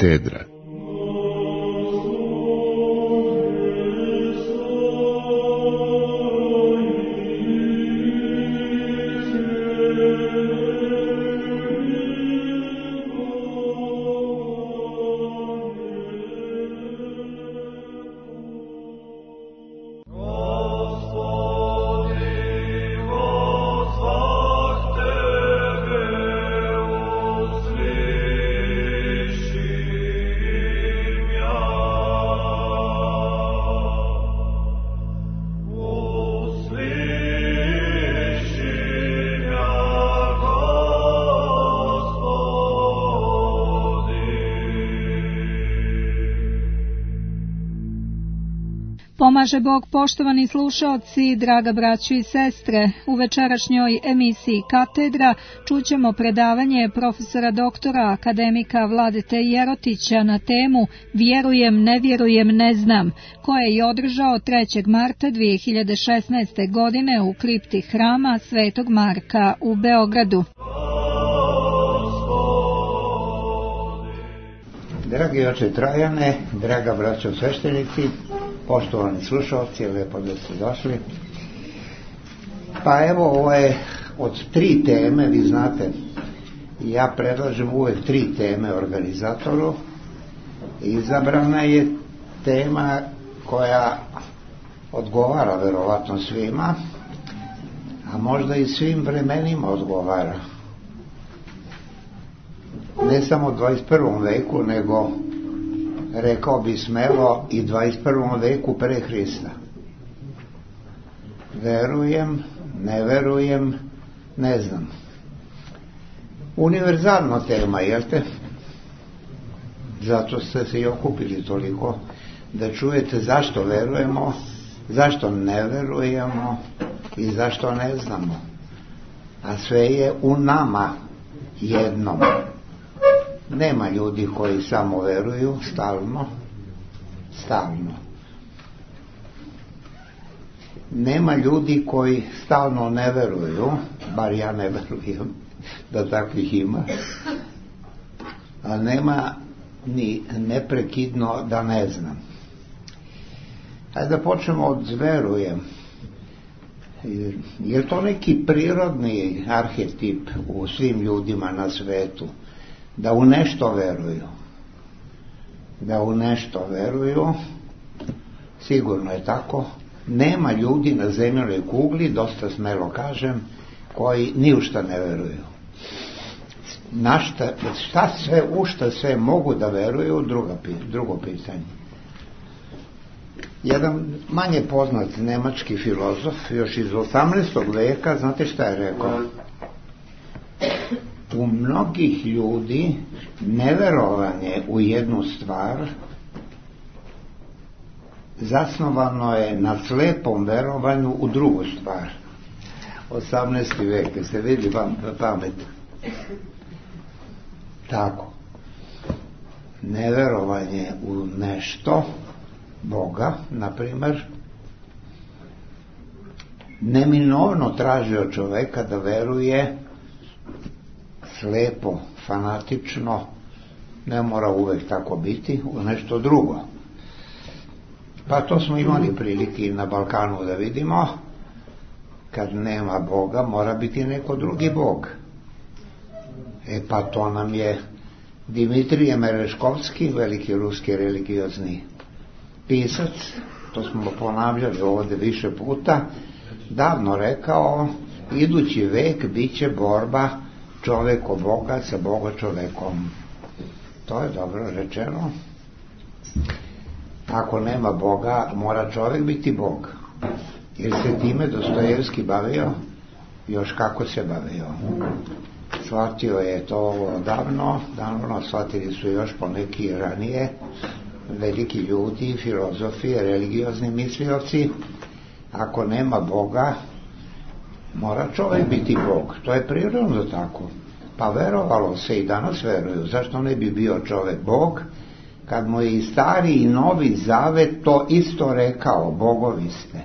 Katedra. Pomaže Bog, poštovani slušaoci, draga braćo i sestre. U večerašnjoj emisiji Katedra čućemo predavanje profesora doktora akademika Vladete Jerotića na temu Vjerujem, ne vjerujem, ne znam, koje je održao 3. marta 2016. godine u kripti hrama Svetog Marka u Beogradu. Dragi oče Trajane, draga braćo sveštenici, poštovani slušalci, lepo da ste došli. Pa evo, ovo je od 3 teme, vi znate, ja predlažem uvek 3 teme organizatoru. Izabrana je tema koja odgovara verovatno svima, a možda i svim vremenima odgovara. Ne samo u 21. veku, nego rekao bi smelo i 21. veku pre Hrista. Verujem, ne verujem, ne znam. Univerzalna tema, jel te? Zato ste se i okupili toliko da čujete zašto verujemo, zašto ne verujemo i zašto ne znamo. A sve je u nama jednom. Nema ljudi koji samo veruju stalno. Nema ljudi koji stalno ne veruju, bar ja ne verujem da takvih ima, a nema ni neprekidno da ne znam. Hajde da počnemo od verujem. Je to neki prirodni arhetip u svim ljudima na svetu? Da u nešto veruju, sigurno je tako. Nema ljudi na zemljinoj kugli, dosta smelo kažem, koji ni u šta ne veruju. U šta sve mogu da veruju, drugo pitanje. Jedan manje poznat nemački filozof, još iz 18. veka, znate šta je rekao? U mnogih ljudi neverovanje u jednu stvar zasnovano je na slepom verovanju u drugu stvar. 18. vek, ste vidjeli pamet? Tako. Neverovanje u nešto, Boga, na primjer, neminovno traži od čoveka da veruje slepo, fanatično, ne mora uvek tako biti, u nešto drugo. Pa to smo imali prilike i na Balkanu da vidimo. Kad nema Boga, mora biti neko drugi Bog. Pa to nam je Dimitrije Mereškovski, veliki ruski religiozni pisac, to smo ponavljali ovdje više puta, davno rekao, idući vek bit će borba čovjeko Boga sa Boga čovjekom. To je dobro rečeno. Ako nema Boga, mora čovjek biti Bog. Jer se time Dostojevski bavio, još kako se bavio. Shvatio je to davno, shvatili su još poneki ranije, veliki ljudi, filozofi, religiozni mislioci. Ako nema Boga, mora čovjek biti Bog. To je prirodno tako. Pa verovalo se i danas veruju. Zašto ne bi bio čovjek Bog? Kad mu je i stari i novi zavet to isto rekao, bogovi ste.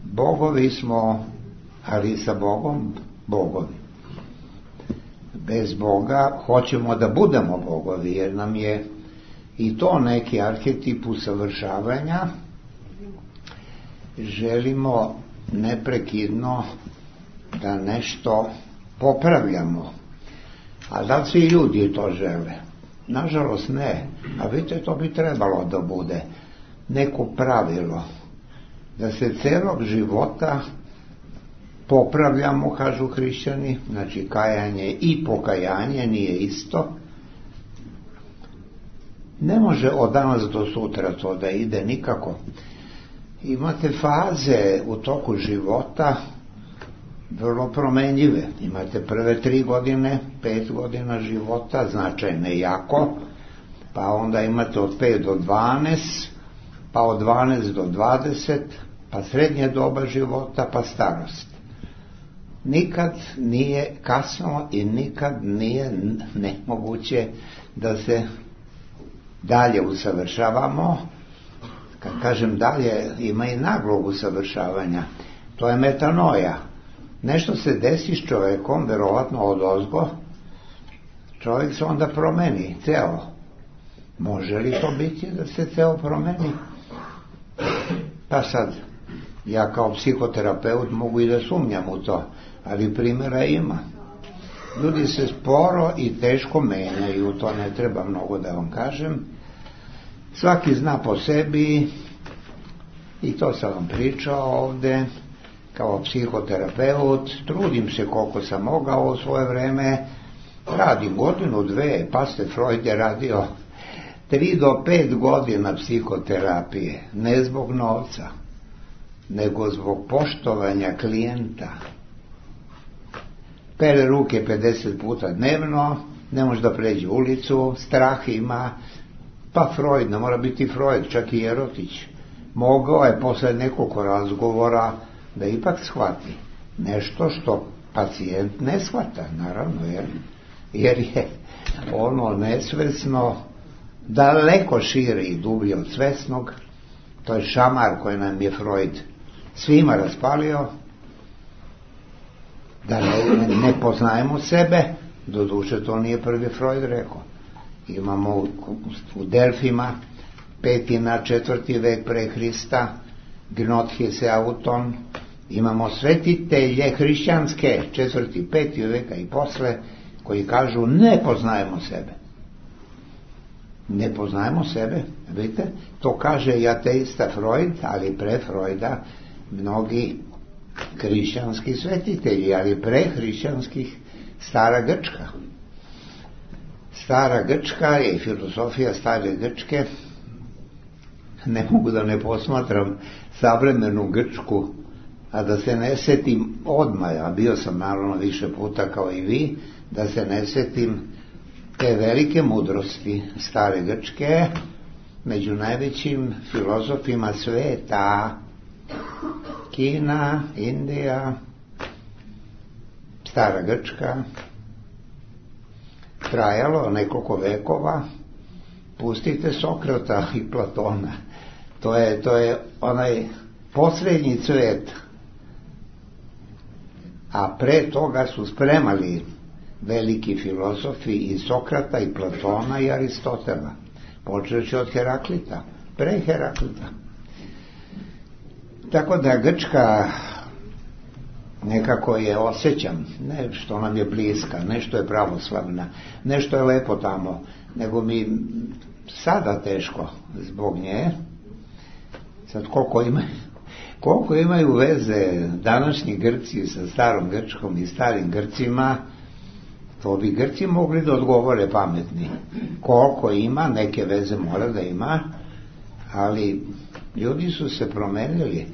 Bogovi smo, ali sa Bogom bogovi. bez Boga hoćemo da budemo bogovi, jer nam je i to neki arhetip usavršavanja. Želimo neprekidno da nešto popravljamo. A da li svi ljudi to žele? Nažalost ne. A vidite, to bi trebalo da bude neko pravilo. Da se celog života popravljamo, kažu hrišćani, znači kajanje i pokajanje nije isto. Ne može od danas do sutra to da ide nikako. Imate faze u toku života vrlo promenljive. Imate prve 3 godine, 5 godina života, značajne jako, pa onda imate od 5 do 12, pa od 12 do 20, pa srednje doba života, pa starost. Nikad nije kasno i nikad nije nemoguće da se dalje usavršavamo. Kad kažem dalje, ima i naglog usavršavanja. To je metanoja. Nešto se desi s čovjekom, verovatno odozgo, čovjek se onda promeni, ceo. Može li to biti da se ceo promeni? Pa sad, ja kao psihoterapeut mogu i da sumnjam u to, ali primjera ima. Ljudi se sporo i teško menjaju, to ne treba mnogo da vam kažem. Svaki zna po sebi, i to sam vam pričao ovde, kao psihoterapeut, trudim se koliko sam mogao u svoje vreme, radim 1-2, pa ste Freud je radio 3 do 5 godina psihoterapije, ne zbog novca, nego zbog poštovanja klijenta. Pere ruke 50 puta dnevno, ne može da pređe ulicu, strah ima, pa Freud, ne mora biti Freud, čak i Erotić, mogao je posle nekoliko razgovora da ipak shvati nešto što pacijent ne shvata, naravno, jer je ono nesvesno daleko šire i dublje od svesnog. To je šamar koji nam je Freud svima raspalio, da ne poznajemo sebe. Doduše, to nije prvi Freud rekao. Imamo u Delfima 5. na 4. vek pre Hrista Gnothes Auton, imamo svetitelje hrišćanske 4. 5. veka i posle, koji kažu ne poznajemo sebe. Ne poznajemo sebe, vidite, to kaže i ateista Freud, ali pre Freuda mnogi hrišćanski svetitelji, ali pre hrišćanskih Stara Grčka. Stara Grčka je filozofija Stare Grčke. Ne mogu da ne posmatram savremenu Grčku, a da se ne setim odmah, a bio sam naravno više puta kao i vi, da se ne setim te velike mudrosti Stare Grčke, među najvećim filozofima sveta, Kina, Indija, Stara Grčka, trajalo nekoliko vekova. Pustite Sokrata i Platona, to je onaj posljednji cvet, a pre toga su spremali veliki filozofi i Sokrata i Platona i Aristotela, počeći od Heraklita, pre Heraklita. Tako da Grčka nekako je osjećam, ne što nam je bliska, nešto je pravoslavna, nešto je lepo tamo, nego mi sada teško zbog nje. Sad koliko imaju veze današnji Grci sa starom Grčkom i starim Grcima, to bi Grci mogli da odgovore pametni. Koliko ima, neke veze mora da ima, ali ljudi su se promenili.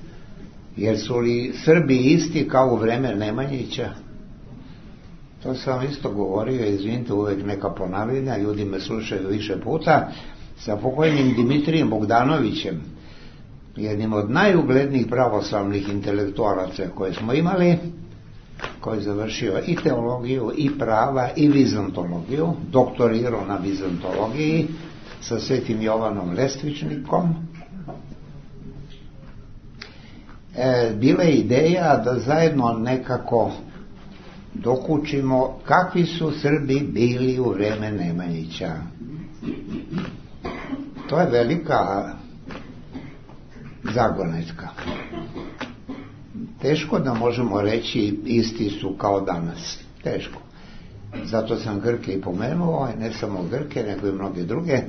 Jer su li Srbi isti kao u vreme Nemanjića? To sam vam isto govorio, izvinite, uvek neka ponavljanja, ljudi me slušaju više puta, sa pokojnim Dimitrijem Bogdanovićem, jednim od najuglednijih pravoslavnih intelektualaca koje smo imali, koji je završio i teologiju, i prava, i vizantologiju, doktorirao na vizantologiji sa Svetim Jovanom Lestvičnikom. Bila je ideja da zajedno nekako dokučimo kakvi su Srbi bili u vreme Nemanjića. To je velika zagonetka. Teško da možemo reći isti su kao danas. Teško. Zato sam Grke i pomenuo, ne samo Grke, nego i mnoge druge.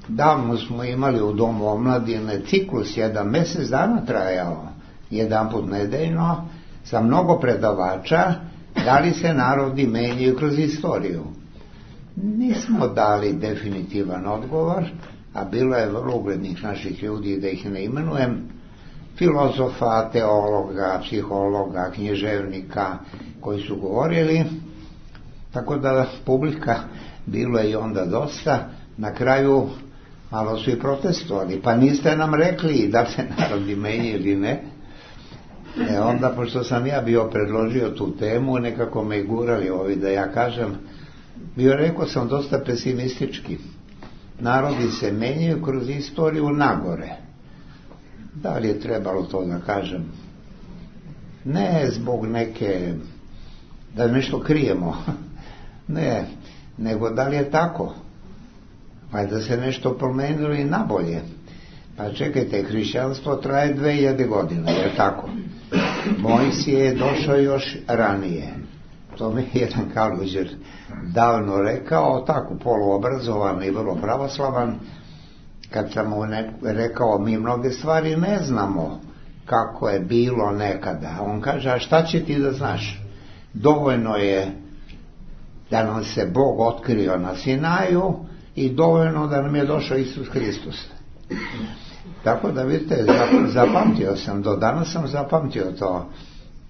Davno smo imali u Domu omladine ciklus, jedan mjesec dana trajao, jedan put nedeljno, sa mnogo predavača, da li se narodi menjaju kroz istoriju. Nismo dali definitivan odgovor, a bilo je vrlo uglednih naših ljudi, da ih ne imenujem, filozofa, teologa, psihologa, književnika, koji su govorili, tako da publika bilo je i onda dosta. Na kraju malo su i protestovali, pa niste nam rekli da se narodi menjaju ili ne. Onda, pošto sam ja bio predložio tu temu, nekako me gurali ovi da ja kažem, rekao sam dosta pesimistički. Narodi se menjaju kroz istoriju nagore. Da li je trebalo to da kažem? Ne zbog neke, da nešto krijemo, ne, nego da li je tako? Pa da se nešto promenilo i nabolje. Pa čekajte, hrišćanstvo traje 2000 godina, je tako? Mojsije je došao još ranije. To mi je jedan Kaluđer davno rekao, tako poluobrazovan i vrlo pravoslavan, kad sam mu rekao, mi mnoge stvari ne znamo kako je bilo nekada. On kaže, a šta će ti da znaš? Dovoljno je da nam se Bog otkrio na Sinaju i dovoljno da nam je došao Isus Hristos. Tako da vidite, zapamtio sam, do danas sam zapamtio to.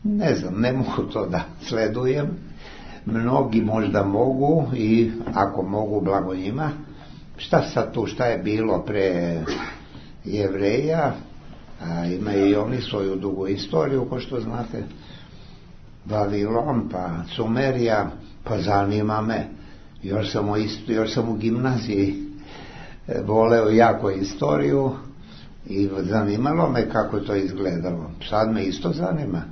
Ne znam, ne mogu to da sledujem. Mnogi možda mogu i ako mogu, blago njima. Šta sad tu, šta je bilo pre Jevreja, a imaju i oni svoju dugu istoriju, ko što znate, Vavilon, pa Sumerija, pa zanima me, još sam u gimnaziji voleo jako istoriju i zanimalo me kako je to izgledalo. Sad me isto zanima,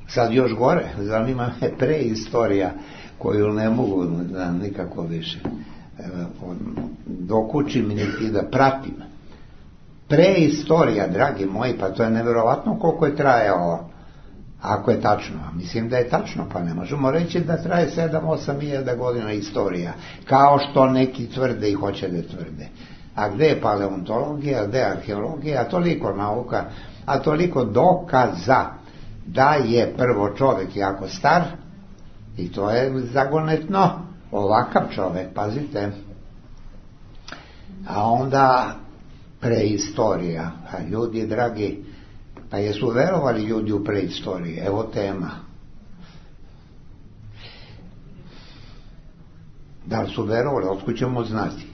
sad još gore, zanima me preistorija koju ne mogu da nikako više dokučim niti da pratim. Preistorija, dragi moji, pa to je nevjerovatno koliko je trajalo, ako je tačno. Mislim da je tačno, pa ne možemo reći da traje 7-8 hiljada godina istorija, kao što neki tvrde i hoće da tvrde. A gde je paleontologija, gde je arheologija, a toliko nauka, a toliko dokaza da je prvo čovjek jako star, i to je zagonetno, ovakav čovjek, pazite. A onda preistorija, a ljudi dragi, pa jesu verovali ljudi u preistoriji? Evo tema. Da li su verovali? Otkud ćemo znati?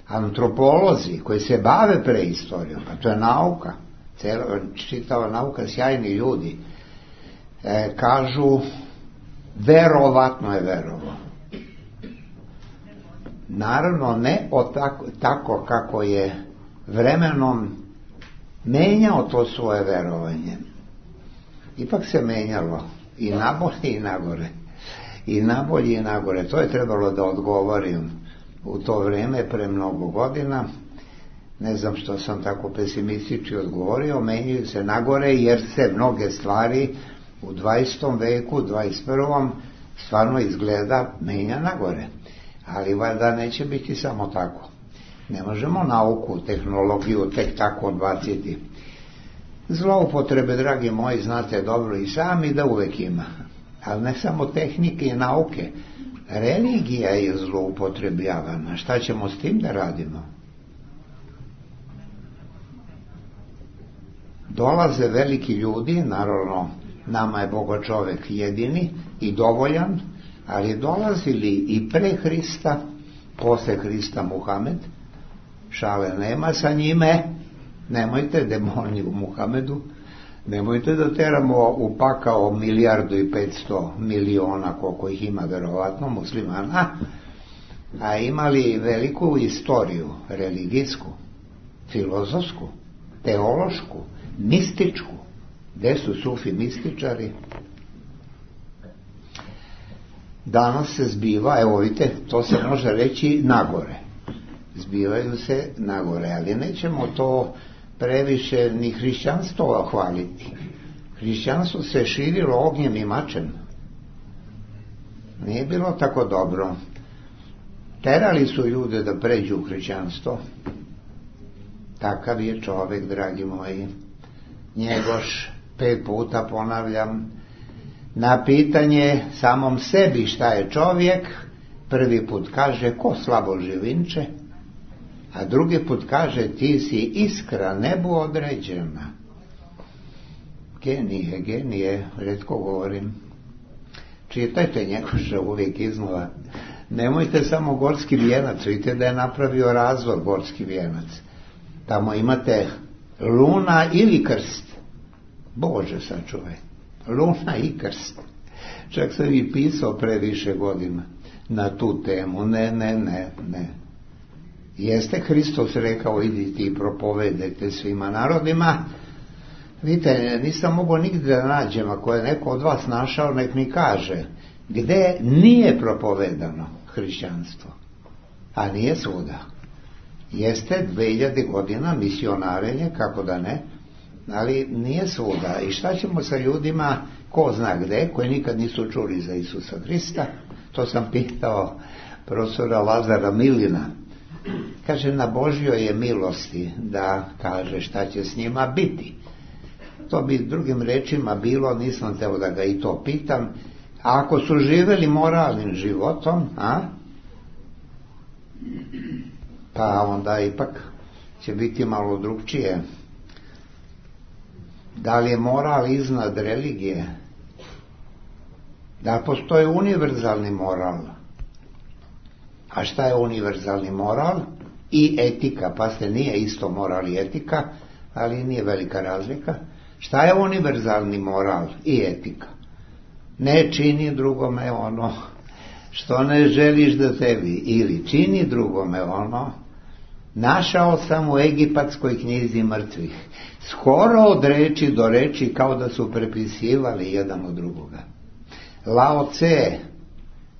Antropolozi koji se bave preistorijom, pa to je nauka, čitava nauka, sjajni ljudi, kažu verovatno je verovo. Naravno ne tako kako je vremenom menjao to svoje verovanje. Ipak se menjalo i nabolje i nagore. I nabolje i nagore. To je trebalo da odgovorim u to vrijeme pre mnogo godina. Ne znam što sam tako pesimistički odgovorio. Menjaju se nagore jer se mnoge stvari u 20. veku, 21. stvarno izgleda menja nagore. Ali valjda neće biti samo tako. Ne možemo nauku, tehnologiju tek tako odbaciti. Zloupotrebe, dragi moji, znate dobro i sami da uvek ima. Ali ne samo tehnike i nauke. Religija je zloupotrebljavana. Šta ćemo s tim da radimo? Dolaze veliki ljudi, naravno nama je Boga čovek jedini i dovoljan, ali dolazili i pre Hrista, posle Hrista Muhamed, šale nema sa njime, nemojte demoni u Muhamedu, nemojte da teramo u pakao 1.500.000.000, koliko ih ima verovatno muslimana, a imali veliku istoriju, religijsku, filozofsku, teološku, mističku. Gde su sufi mističari? danas se zbiva, evo vidite, to se može reći nagore. Zbivaju se nagore, ali nećemo to previše ni hrišćanstvo hvaliti. Hrišćanstvo se širilo ognjem i mačem. Nije bilo tako dobro. Terali su ljude da pređu u hrišćanstvo. Takav je čovjek, dragi moji. Njegoš, 5 puta ponavljam, na pitanje samom sebi šta je čovjek, prvi put kaže ko slabo živinče, a drugi put kaže ti si iskra nebu određena. Genije, retko govorim. Čitajte Njegoša uvijek iznova. Nemojte samo Gorski vijenac, vidite da je napravio razvod Gorski vijenac. Tamo imate luna ili krst. Bože sačuvaj. Luna i krst. Čak sam i pisao pre više godina na tu temu. Ne. Jeste Hristos rekao idite i propovedajte svima narodima. Vidite, nisam mogao nigdje da nađem, ako je neko od vas našao, nek mi kaže gdje nije propovedano hrišćanstvo, a nije svuda. Jeste 2000 godina misionarenje, kako da ne, ali nije svuda. I šta ćemo sa ljudima, ko zna gdje, koji nikad nisu čuli za Isusa Hrista? To sam pitao profesora Lazara Milina. Kaže, na Božjoj je milosti da kaže šta će s njima biti. To bi drugim rečima bilo, nisam teo da ga i to pitam, a ako su živjeli moralnim životom, pa onda ipak će biti malo drugčije. Da li je moral iznad religije? Da postoji univerzalni moral? A šta je univerzalni moral? I etika, pa se nije isto moral i etika, ali nije velika razlika. Šta je univerzalni moral i etika? Ne čini drugome ono što ne želiš da tebi, ili čini drugome ono. Našao sam u egipatskoj knjizi mrtvih, skoro od reči do reči, kao da su prepisivali jedan od drugoga. Lao Tse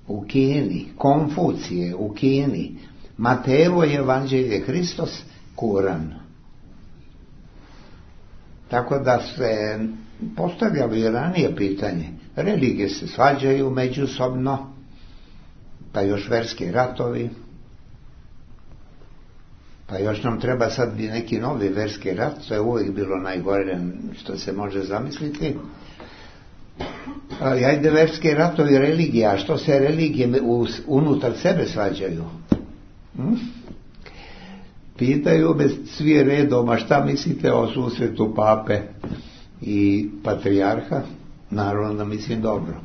u Kini, Konfucije u Kini, Matejevo evanđelje, Hristos, Kuran. Tako da se postavljalo i ranije pitanje. Religije se svađaju međusobno, pa još verski ratovi, pa još nam treba sad neki novi verski rat, to je uvijek bilo najgore što se može zamisliti. Ali ajde, verski ratovi, religija, a što se religije unutar sebe svađaju? Pitaju me svi redom, a šta mislite o susretu pape i patrijarha? Naravno da mislim dobro.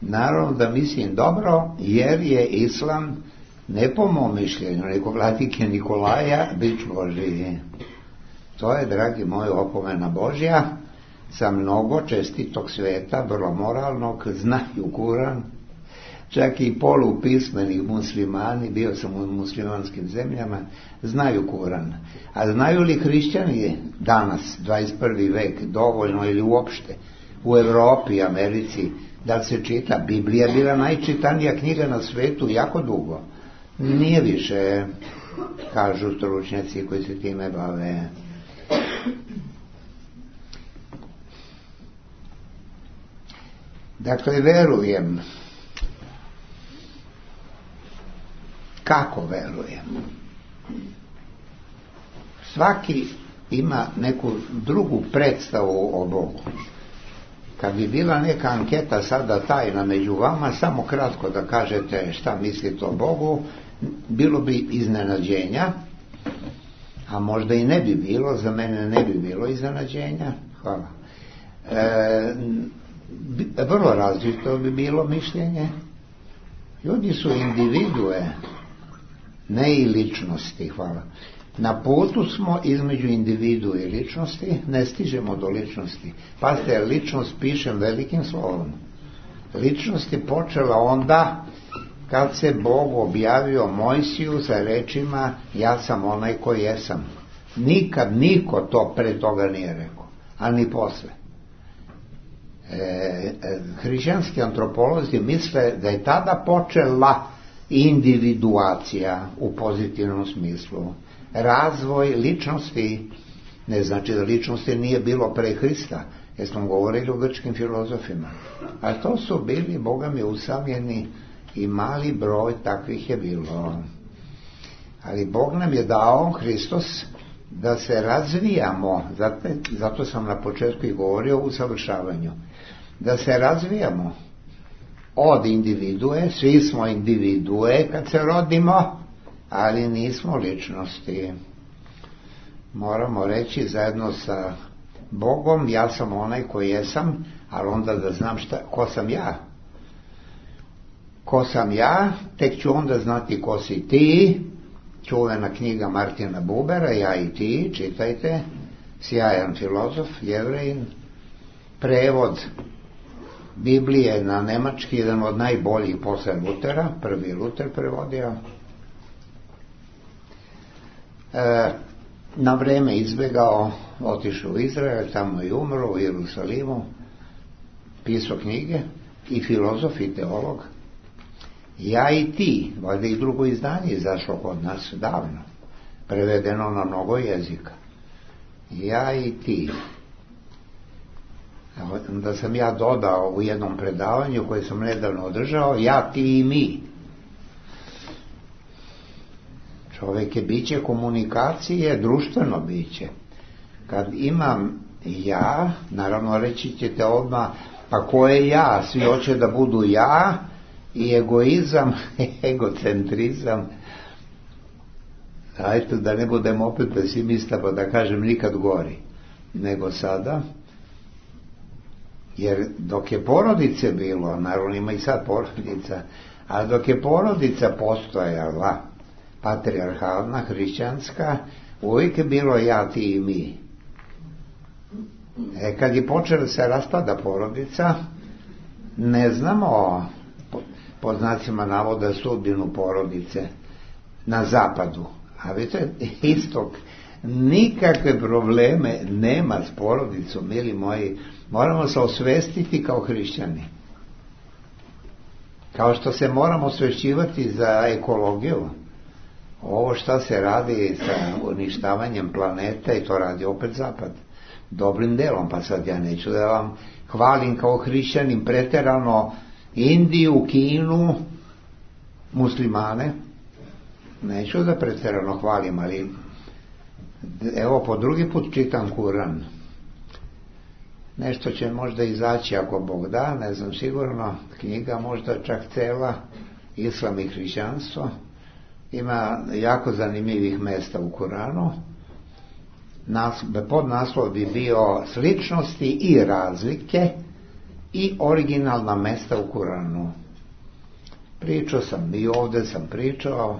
Naravno da mislim dobro, jer je islam, ne po mom mišljenju, nego vladike Nikolaja, bić Božiji. To je, dragi moji, opomena Božja za mnogo čestitog sveta, vrlo moralnog, znaju Kuran, čak i polupismeni muslimani, bio sam u muslimanskim zemljama, znaju Kuran. A znaju li hrišćani danas, 21. vek, dovoljno ili uopšte, u Europi, Americi, da se čita? Biblija je bila najčitanija knjiga na svetu jako dugo. Nije više, kažu stručnjaci koji se time bave. Dakle, verujem. Kako verujem? Svaki ima neku drugu predstavu o Bogu. Kad bi bila neka anketa sada tajna među vama, samo kratko da kažete šta mislite o Bogu, bilo bi iznenađenja, a možda i ne bi bilo, za mene ne bi bilo iznenađenja. Hvala. Vrlo različito bi bilo mišljenje. Ljudi su individue, ne i ličnosti. Hvala. Na putu smo između individu i ličnosti, ne stižemo do ličnosti. Pazite, ličnost pišem velikim slovom. Ličnost je počela onda kad se Bog objavio Mojsiju sa rečima ja sam onaj koji jesam. Nikad niko to pre toga nije rekao, a ni posle. Hrišćanski antropolozi misle da je tada počela individuacija u pozitivnom smislu. Razvoj ličnosti, ne znači da ličnosti nije bilo pre Hrista, jer smo govorili o grčkim filozofima, a to su bili, Boga mi, usamljeni i mali broj takvih je bilo. Ali Bog nam je dao, Hristos, da se razvijamo, zato sam na početku i govorio o usavršavanju, da se razvijamo od individue, svi smo individue kad se rodimo, ali nismo ličnosti. Moramo reći zajedno sa Bogom, ja sam onaj koji jesam, ali onda da znam ko sam ja. Ko sam ja, tek ću onda znati ko si ti. Čuvena knjiga Martina Bubera, Ja i ti, čitajte, sjajan filozof, Jevrejin, prevod Biblije na nemački, jedan od najboljih posle Lutera, prvi Luter prevodio. Na vreme izbjegao, otišao u Izrael, tamo je umro, u Jerusalimu, pisao knjige, i filozof i teolog. Ja i ti, valjda i drugo izdanje izašlo kod nas davno, prevedeno na mnogo jezika. Ja i ti. Da sam ja dodao u jednom predavanju koje sam nedavno održao, ja, ti i mi. Čovjek je biće komunikacije, društveno biće. Kad imam ja, naravno reći ćete odmah, pa ko je ja? Svi hoće da budu ja, i egoizam, egocentrizam. Ajde da ne budem opet pesimista, pa da kažem nikad gori nego sada. Jer dok je porodice bilo, naravno ima i sad porodica, ali dok je porodica postojala, patrijarhalna, hrišćanska, uvijek je bilo ja, ti i mi. Kad je počela se raspada porodica, ne znamo, pod znacima navoda, sudbinu porodice na zapadu. A vidite, istok nikakve probleme nema s porodicom, mili moji. Moramo se osvestiti kao hrišćani. Kao što se moramo osvešćivati za ekologiju. Ovo šta se radi sa uništavanjem planeta, i to radi opet zapad. Dobrim delom, pa sad ja neću da vam hvalim kao hrišćanin preterano Indiju, Kinu, muslimane. Neću da preterano hvalim, ali evo po drugi put čitam Kuran. Nešto će možda izaći ako Bog da, ne znam sigurno, knjiga možda čak cela, Islam i hrišćanstvo. Ima jako zanimljivih mesta u Kuranu. Podnaslov bi bio sličnosti i razlike i originalna mesta u Kuranu. Pričao sam, i ovdje sam pričao,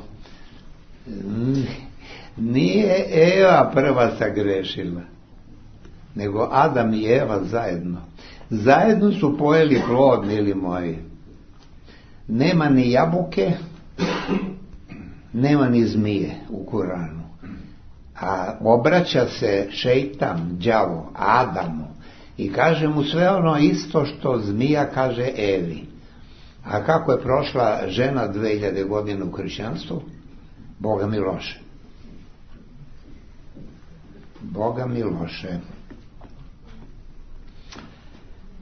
nije Eva prva sagrešila, nego Adam i Eva zajedno. Zajedno su pojeli plod, mili moji. Nema ni jabuke, nema ni zmije u Kuranu. A obraća se šejtan, đavo, Adamu, i kaže mu sve ono isto što zmija kaže Evi. A kako je prošla žena 2000 godina u hrišćanstvu? Boga mi loše. Boga mi loše.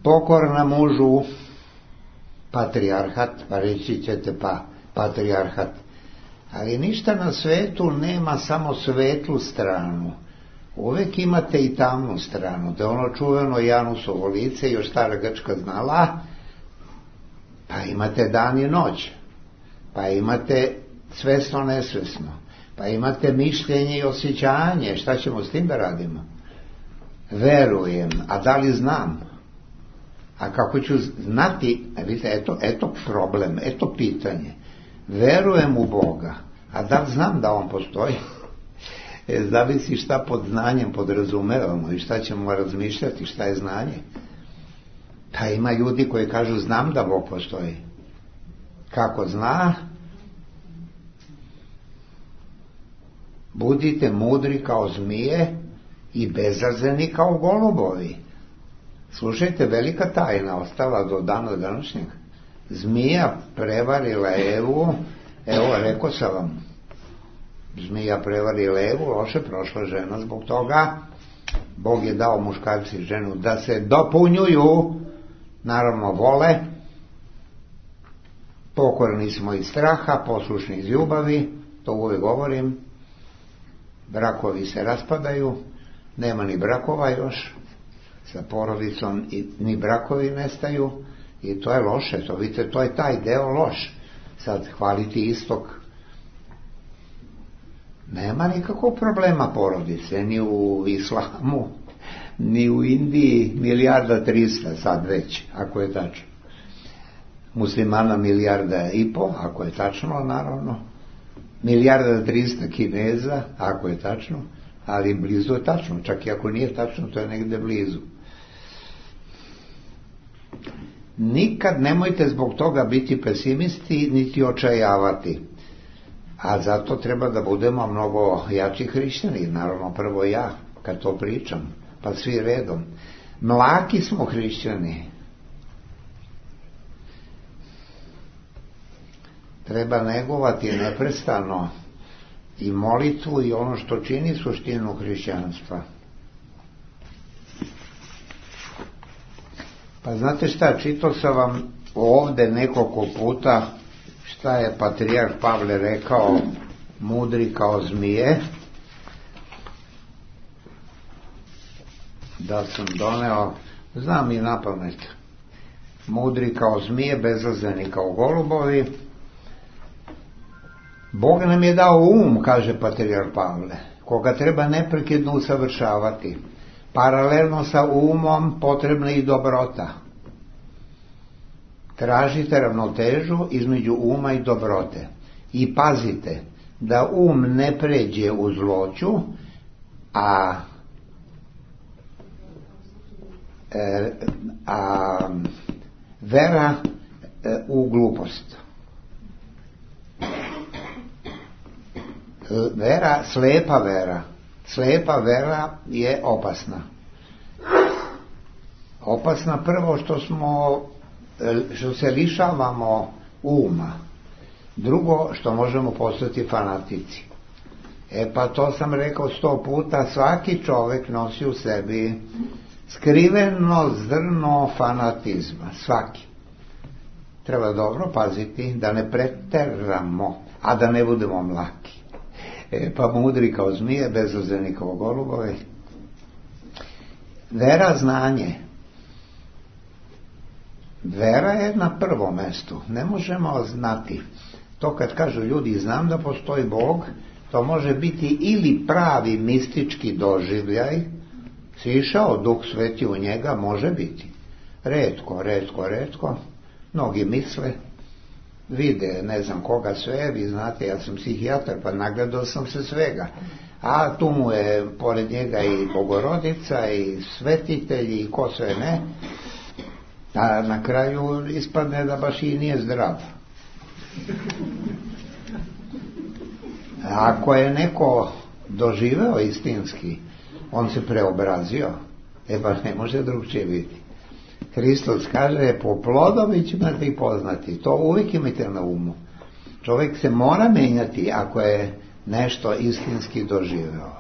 Pokorna mužu, patrijarhat, pa reći ćete pa patrijarhat. Ali ništa na svetu nema samo svetlu stranu. Uvijek imate i tamnu stranu. Da ono čuveno Janusovo lice, još stara Grčka znala, pa imate dan i noć, pa imate svesno nesvesno, pa imate mišljenje i osjećanje. Šta ćemo s tim da radimo? Verujem, a da li znam? A kako ću znati? Vidite, eto problem, eto pitanje. Verujem u Boga, a da li znam da on postoji? Zavisi šta pod znanjem podrazumevamo i šta ćemo razmišljati, šta je znanje. Pa ima ljudi koji kažu znam da Bog postoji. Kako zna? Budite mudri kao zmije i bezazleni kao golubovi. Slušajte, velika tajna ostala do dana današnjeg. Zmija prevarila Evu, evo, rekao sam vam, zmija prevarila Evu, loše prošla žena zbog toga. Bog je dao muškarci i ženu da se dopunjuju, naravno vole, pokorni smo iz straha, poslušni iz ljubavi, to uvijek govorim. Brakovi se raspadaju, nema ni brakova još, sa porodicom ni brakovi nestaju, i to je loše, to vidite, to je taj deo loš. Sad hvaliti istok, nema nikakvog problema porodice, ni u islamu, ni u Indiji, 1.300.000 sad već, ako je tačno. Muslimana 1,5 milijarda, ako je tačno, naravno. 1.300.000 Kineza, ako je tačno, ali blizu je tačno, čak i ako nije tačno, to je negde blizu. Nikad nemojte zbog toga biti pesimisti, niti očajavati. A zato treba da budemo mnogo jači hrišćani, naravno prvo ja, kad to pričam, pa svi redom. Mlaki smo hrišćani. Treba negovati neprestano i molitvu i ono što čini suštinu hrišćanstva. Pa znate šta, čitao sam vam ovde nekoliko puta šta je patrijarh Pavle rekao, mudri kao zmije, da sam doneo, znam i napamet, mudri kao zmije, bezazleni kao golubovi. Bog nam je dao kaže patrijarh Pavle, koga treba neprekidno usavršavati. Paralelno sa umom potrebna i dobrota. Tražite ravnotežu između uma i dobrote. I pazite da ne pređe u zloću, a vera u glupost. Slepa vera je opasna. Opasna prvo što se lišavamo uma. Drugo, što možemo postati fanatici. Pa to sam rekao 100 puta, svaki čovjek nosi u sebi skriveno zrno fanatizma. Svaki. Treba dobro paziti da ne preteramo, a da ne budemo mlaki. Pa mudri kao zmije, bezazleni kao golubovi. Vera, znanje. Vera je na prvom mestu. Ne možemo znati. To kad kažu ljudi, znam da postoji Bog, to može biti ili pravi mistički doživljaj, sišao Duh Sveti u njega, može biti. Retko. Mnogi misle, vide, ne znam koga sve, vi znate, ja sam psihijatar, pa nagledao sam se svega. A tu mu je pored njega i Bogorodica, i svetitelji, i ko sve ne. A na kraju ispadne da baš i nije zdrav. Ako je neko doživeo istinski, on se preobrazio, pa ne može drugčije biti. Hristos kaže, po plodovi ćete ih poznati. To uvijek imajte na umu. Čovjek se mora menjati ako je nešto istinski doživeo.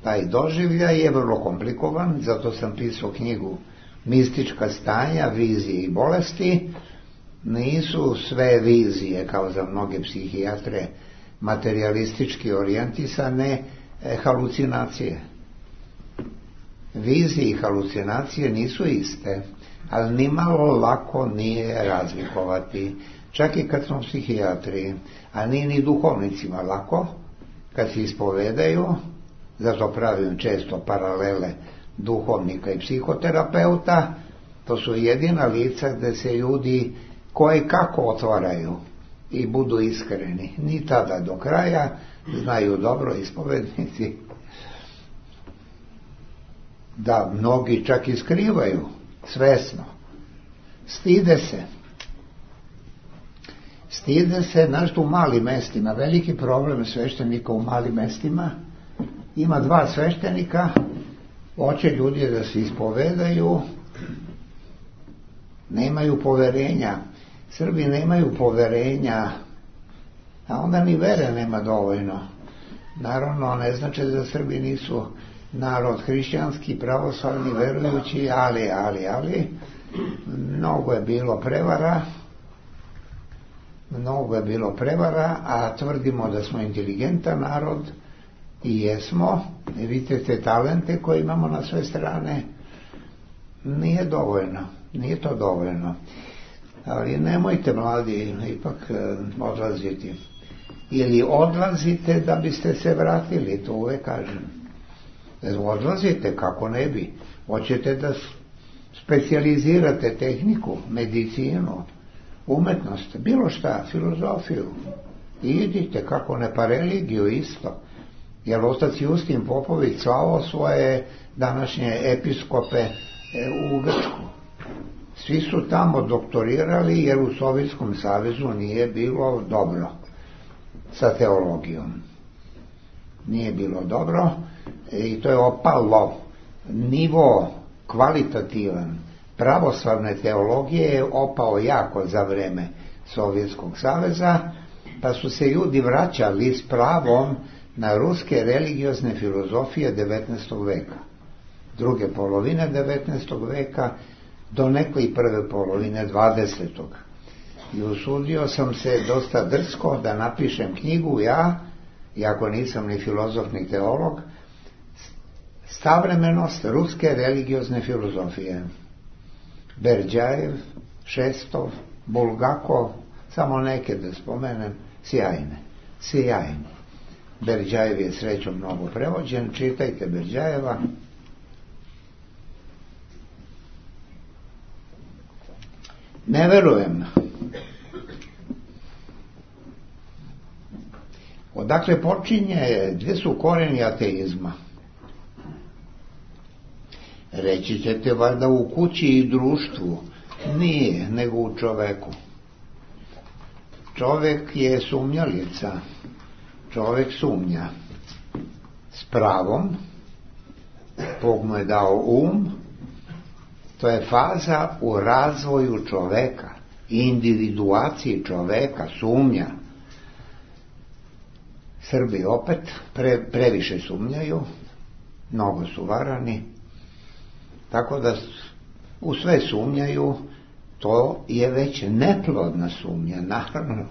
Taj doživljaj je vrlo komplikovan, zato sam pisao knjigu Mistička stanja, vizije i bolesti. Nisu sve vizije, kao za mnoge psihijatre, materialistički orijentisane, halucinacije. Vizije i halucinacije nisu iste, ali nimalo lako nije razlikovati. Čak i kad smo psihijatri, a nije ni duhovnicima lako, kad se ispovedaju, zato pravim često paralele duhovnika i psihoterapeuta, to su jedina lica gdje se ljudi koje kako otvaraju i budu iskreni. Ni tada do kraja, znaju dobro ispovednici da mnogi čak i skrivaju svesno. Stide se, znaš, u malim mestima. Veliki problem sveštenika u malim mestima. Ima 2 sveštenika Hoće ljudi da se ispovedaju, nemaju poverenja. Srbi nemaju poverenja, a onda ni vere nema dovoljno. Naravno, ne znači da Srbi nisu narod hrišćanski, pravoslavni, verujući, ali mnogo je bilo prevara, a tvrdimo da smo inteligentan narod i jesmo. Vidite te talente koje imamo na sve strane. Nije to dovoljno. Ali nemojte, mladi, ipak odlaziti. Ili odlazite da biste se vratili, to uvek kažem. Odlazite, kako ne bi. Hoćete da specijalizirate tehniku, medicinu, umetnost, bilo šta, filozofiju. Idite, kako ne, pa religiju isto. Jer otac Justin Popović slao svoje današnje episkope u Grčku. Svi su tamo doktorirali jer u Sovjetskom savezu nije bilo dobro sa teologijom. Nije bilo dobro i to je opalo. Nivo kvalitativan pravoslavne teologije je opao jako za vreme Sovjetskog saveza, pa su se ljudi vraćali s pravom na ruske religiozne filozofije 19. veka. Druge polovine 19. veka do neke i prve polovine 20. I usudio sam se dosta drsko da napišem knjigu ja, iako nisam ni filozof ni teolog, Savremenost ruske religiozne filozofije. Berdjajev, Šestov, Bulgakov, samo neke da spomenem, sjajne. Berdjajev je srećom mnogo prevođen, čitajte Berdjajeva. Ne verujem. Odakle počinje, gdje su koreni ateizma? Reći ćete valjda u kući i društvu. Nije, nego u čoveku. Čovek je sumnjalica. Čovek sumnja. S pravom. Bog mu je dao to je faza u razvoju čoveka, individuaciji čoveka, sumnja. Srbi opet previše sumnjaju, mnogo su varani, tako da u sve sumnjaju, to je već neplodna sumnja. Naravno,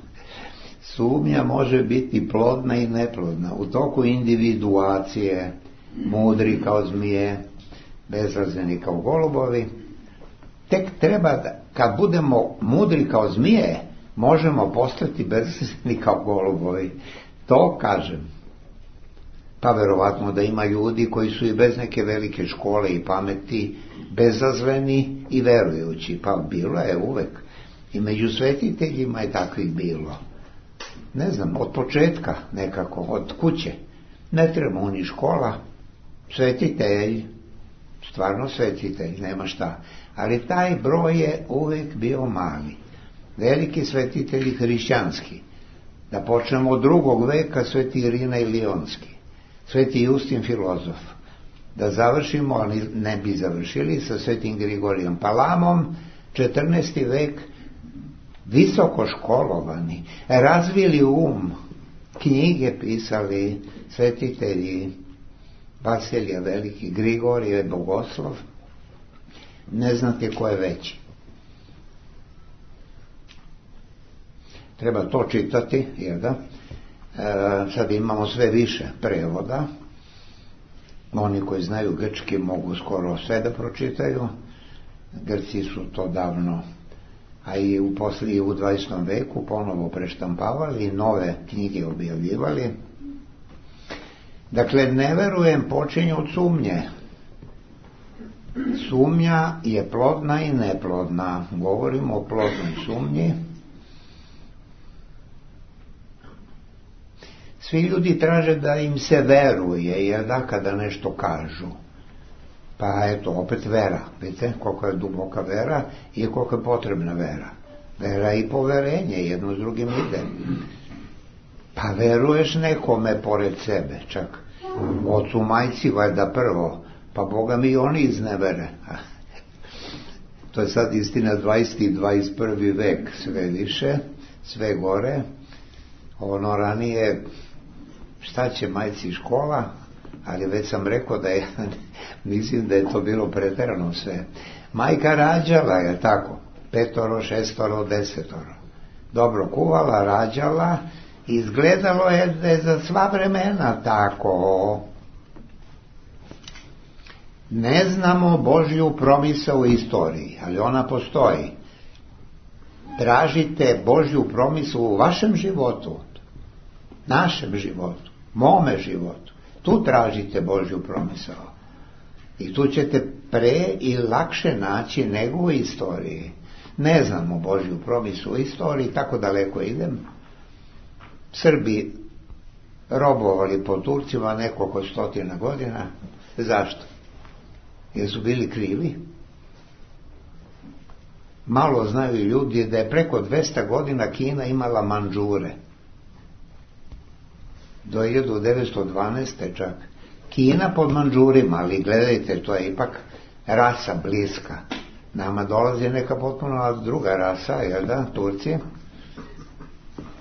sumnja može biti plodna i neplodna. U toku individuacije, mudri kao zmije, bezrazleni kao golubovi, tek treba da, kad budemo mudri kao zmije, možemo postati bezrazleni kao golubovi. To kažem. Pa verovatno da ima ljudi koji su i bez neke velike škole i pameti bezazleni i verujući. Pa bilo je uvek. I među svetiteljima je takvih bilo. Ne znam, od početka nekako, od kuće. Ne treba ni škola. Svetitelj, stvarno svetitelj, nema šta. Ali taj broj je uvek bio mali. Veliki svetitelji hrišćanski. Da počnemo od 2. veka, sveti Irina Ilionski, sveti Justin filozof. Da završimo, ali ne bi završili, sa svetim Grigorijem Palamom, 14. vek, visoko školovani, razvili knjige pisali svetitelji, Vasilije Veliki, Grigorije Bogoslov, ne znate ko je veći. Treba to čitati, jer da, sad imamo sve više prevoda, oni koji znaju grčki mogu skoro sve da pročitaju, Grci su to davno, a i u 20. veku ponovo preštampavali i nove knjige objavljivali. Dakle, ne verujem, počinje od sumnje. Sumnja je plodna i neplodna. Govorimo o plodnoj sumnji. Svi ljudi traže da im se veruje, jer da, kada nešto kažu. Pa eto, opet vera. Vidite koliko je duboka vera i koliko je potrebna vera. Vera i poverenje, jedno s drugim ide. Pa veruješ nekome pored sebe, čak ocu majci valjda prvo, Pa Boga mi oni iznevere. To je sad istina 20. i 21. vek, sve više, sve gore. Ono ranije, šta će majci škola, ali već sam rekao da je, mislim da je to bilo preterano sve. Majka rađala, je tako, 5, 6, 10. Dobro kuvala, rađala, izgledalo je da je za sva vremena tako. Ne znamo Božju promisao u istoriji, ali ona postoji. Tražite Božju promisao u vašem životu, našem životu, mome životu. Tu tražite Božju promisao. I tu ćete pre i lakše naći nego u istoriji. Ne znamo Božju promisao u istoriji, tako daleko idem. Srbi robovali po Turcima nekoliko stotina godina. Zašto? Jer su bili krivi. Malo znaju ljudi da je preko 200 godina Kina imala Mandžure. Do 1912. čak. Kina pod Mandžurima, ali gledajte, to je ipak rasa bliska. Nama dolazi neka potpuno druga rasa, jel da, Turci,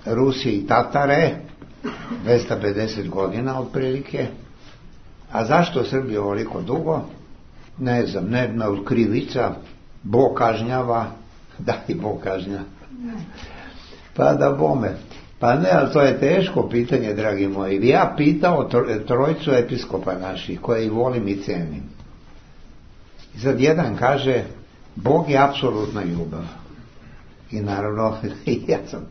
Rusi i Tatare, 250 godina otprilike. A zašto Srbija ovoliko dugo? Ne znam, ne krivica, Bog kažnjava, da i Bog kažnja. Pa da bome. Pa ne, ali to je teško pitanje, dragi moji. Ja pitao trojicu episkopa naših, koje i volim i cenim. I sad jedan kaže, Bog je apsolutna ljubav. I naravno, ja sam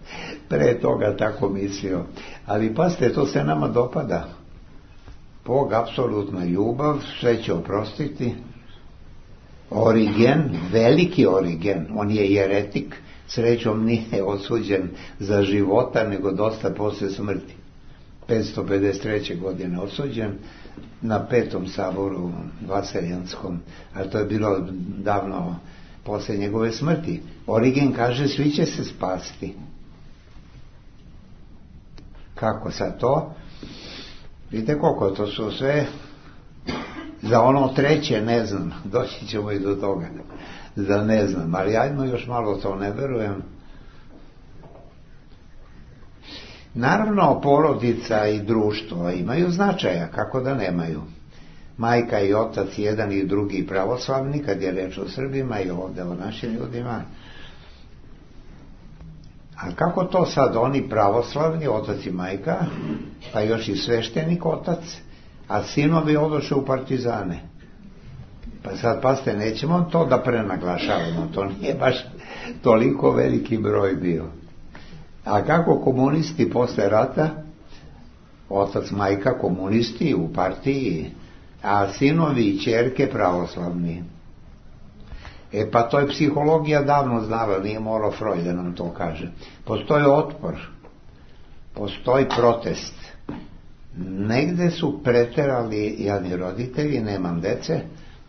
pre toga tako mislio. Ali pazite, to se nama dopada. Bog apsolutna ljubav, sve će oprostiti. Origen, veliki Origen, on je jeretik, srećom nije osuđen za života, nego dosta posle smrti. 553. godine osuđen na 5. saboru Vaseljanskom, ali to je bilo davno posle njegove smrti. Origen kaže, svi će se spasti. Kako sad to? Vidite koliko to su sve. Za ono treće ne znam, doći ćemo i do toga, za ne znam, ali ajmo još malo to, ne verujem. Naravno, porodica i društvo imaju značaja, kako da nemaju. Majka i otac, jedan i drugi pravoslavni, kad je reč o Srbima i ovdje o našim ljudima. A kako to sad oni pravoslavni, otac i majka, pa još i sveštenik otac, a sinovi odoše u partizane? Pa sad, pasite, nećemo to da prenaglašavamo, to nije baš toliko veliki broj bio. A kako komunisti posle rata, otac, majka komunisti u partiji, a sinovi i ćerke pravoslavni. Pa to je psihologija davno znala, nije morao Freud da nam to kaže. Postoji otpor, postoji protest. Negde su preterali jadni roditelji, nemam dece,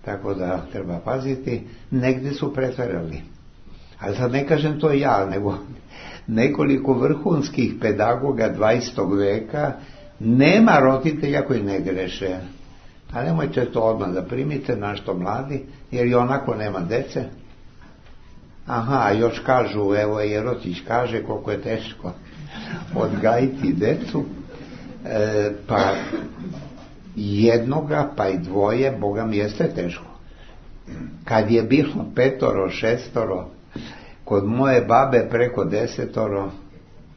tako da treba paziti, negde su preterali. Ali sad ne kažem to ja, nego nekoliko vrhunskih pedagoga 20. veka, nema roditelja koji ne greše. A nemojte to odmah da primite, našto mladi, jer i onako nema dece. Aha, još kažu, evo Jerotić kaže koliko je teško odgajiti decu, pa jednoga, pa i dvoje, Boga mi jeste teško. Kad je bilo 5, 6, kod moje babe preko 10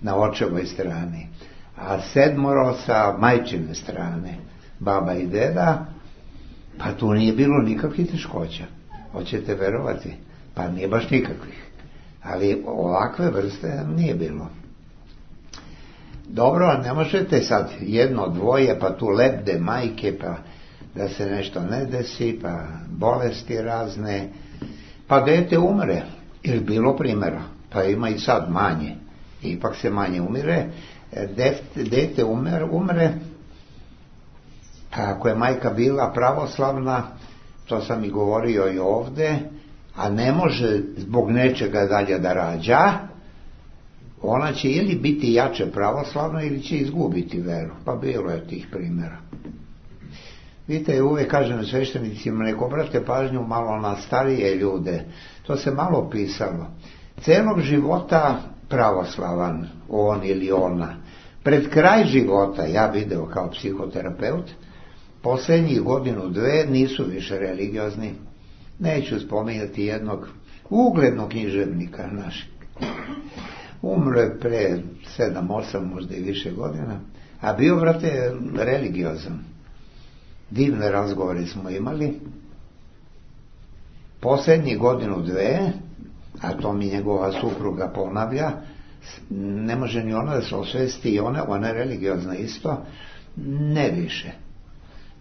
na očevoj strani, a 7 sa majčine strane, baba i deda, pa tu nije bilo nikakvih teškoća. Hoćete verovati? Pa nije baš nikakvih. Ali ovakve vrste nije bilo. Dobro, ne možete sad 1, 2, pa tu lebde majke, pa da se nešto ne desi, pa bolesti razne, pa dete umre. Ili bilo primjera, pa ima i sad manje. Ipak se manje umire. Dete umre, pa ako je majka bila pravoslavna, to sam i govorio i ovde, a ne može zbog nečega dalje da rađa, ona će ili biti jače pravoslavna ili će izgubiti veru. Pa bilo je tih primjera. Vidite, uvijek kažem sveštenicima, nek obrate pažnju malo na starije ljude. To se malo pisalo. Celog života pravoslavan, on ili ona. Pred kraj života, ja video kao psihoterapeut, posljednjih godinu, dve nisu više religiozni. Neću spominjati jednog uglednog književnika našeg. Umro je pre 7, 8, možda i više godina, a bio, brate, religiozan. Divne razgovore smo imali. Posljednjih godinu, dve, a to mi njegova supruga ponavlja, ne može ni ona da se osvesti, i ona je religiozna isto,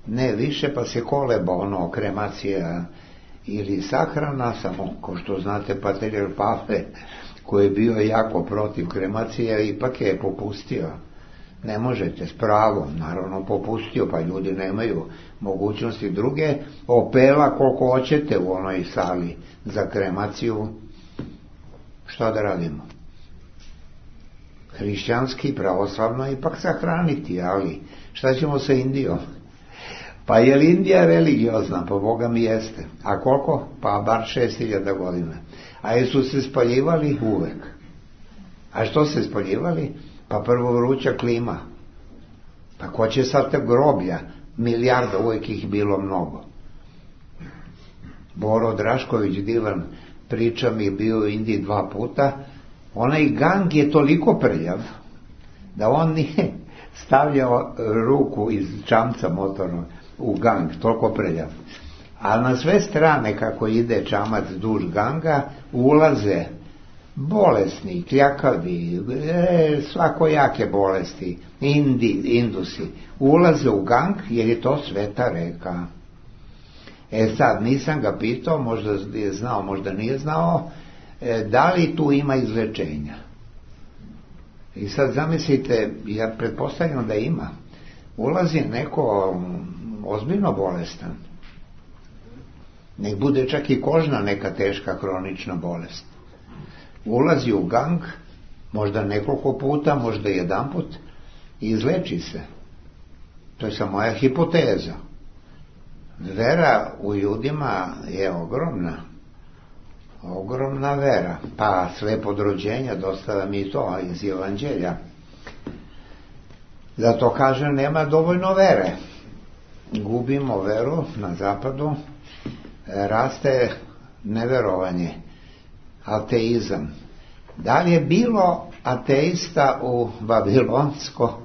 ne više, pa se koleba kremacija ili sahrana, samo ko što znate patrijarh Pavle, koji je bio jako protiv kremacije, ipak je popustio. Ne možete, s pravom, naravno popustio, pa ljudi nemaju mogućnosti druge, opela koliko hoćete u onoj sali za kremaciju. Šta da radimo? Hrišćanski, pravoslavno ipak sahraniti, ali šta ćemo sa Indijom? Pa je li Indija religiozna? Pa Boga mi jeste. A koliko? Pa bar 6000 godina. A jesu se spaljivali? Uvek. A što se spaljivali? Pa prvo vruća klima. Pa ko će sad te groblja? Milijarda, uvijek ih bilo mnogo. Boro Drašković, divan, priča mi, bio u Indiji 2 puta. Onaj gang je toliko prljav da on nije stavljao ruku iz čamca motornog u gang, toliko prljav. A na sve strane, kako ide čamac duž ganga, ulaze bolesni, kljakavi, svakojake bolesti, Indusi, ulaze u gang jer je to sveta reka. Sad, nisam ga pitao, možda je znao, možda nije znao, da li tu ima izlečenja. I sad zamislite, ja pretpostavljam da ima. Ulazi neko ozbiljno bolestan. Nek bude čak i kožna neka teška kronična bolest. Ulazi u gang, možda nekoliko puta, možda jedanput, i izleči se. To je samo moja hipoteza. Vera u ljudima je ogromna vera, pa sve pod rođenja, dostava mi to iz Evanđelja. Zato kažem, nema dovoljno vere. Gubimo veru na zapadu, raste neverovanje, ateizam. Da li je bilo ateista u babilonsko,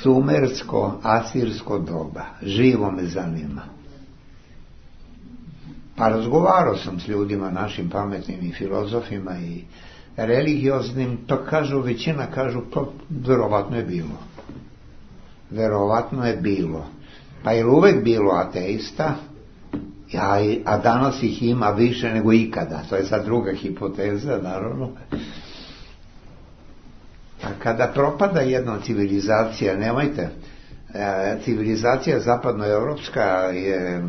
sumersko, asirsko doba? Živo me zanima. Pa razgovarao sam s ljudima, našim pametnim i filozofima i religioznim, to kažu, većina kažu, to verovatno je bilo. Pa je uvek bilo ateista, a danas ih ima više nego ikada. To je sad druga hipoteza, naravno. A kada propada jedna civilizacija, nemojte, civilizacija zapadnoevropska je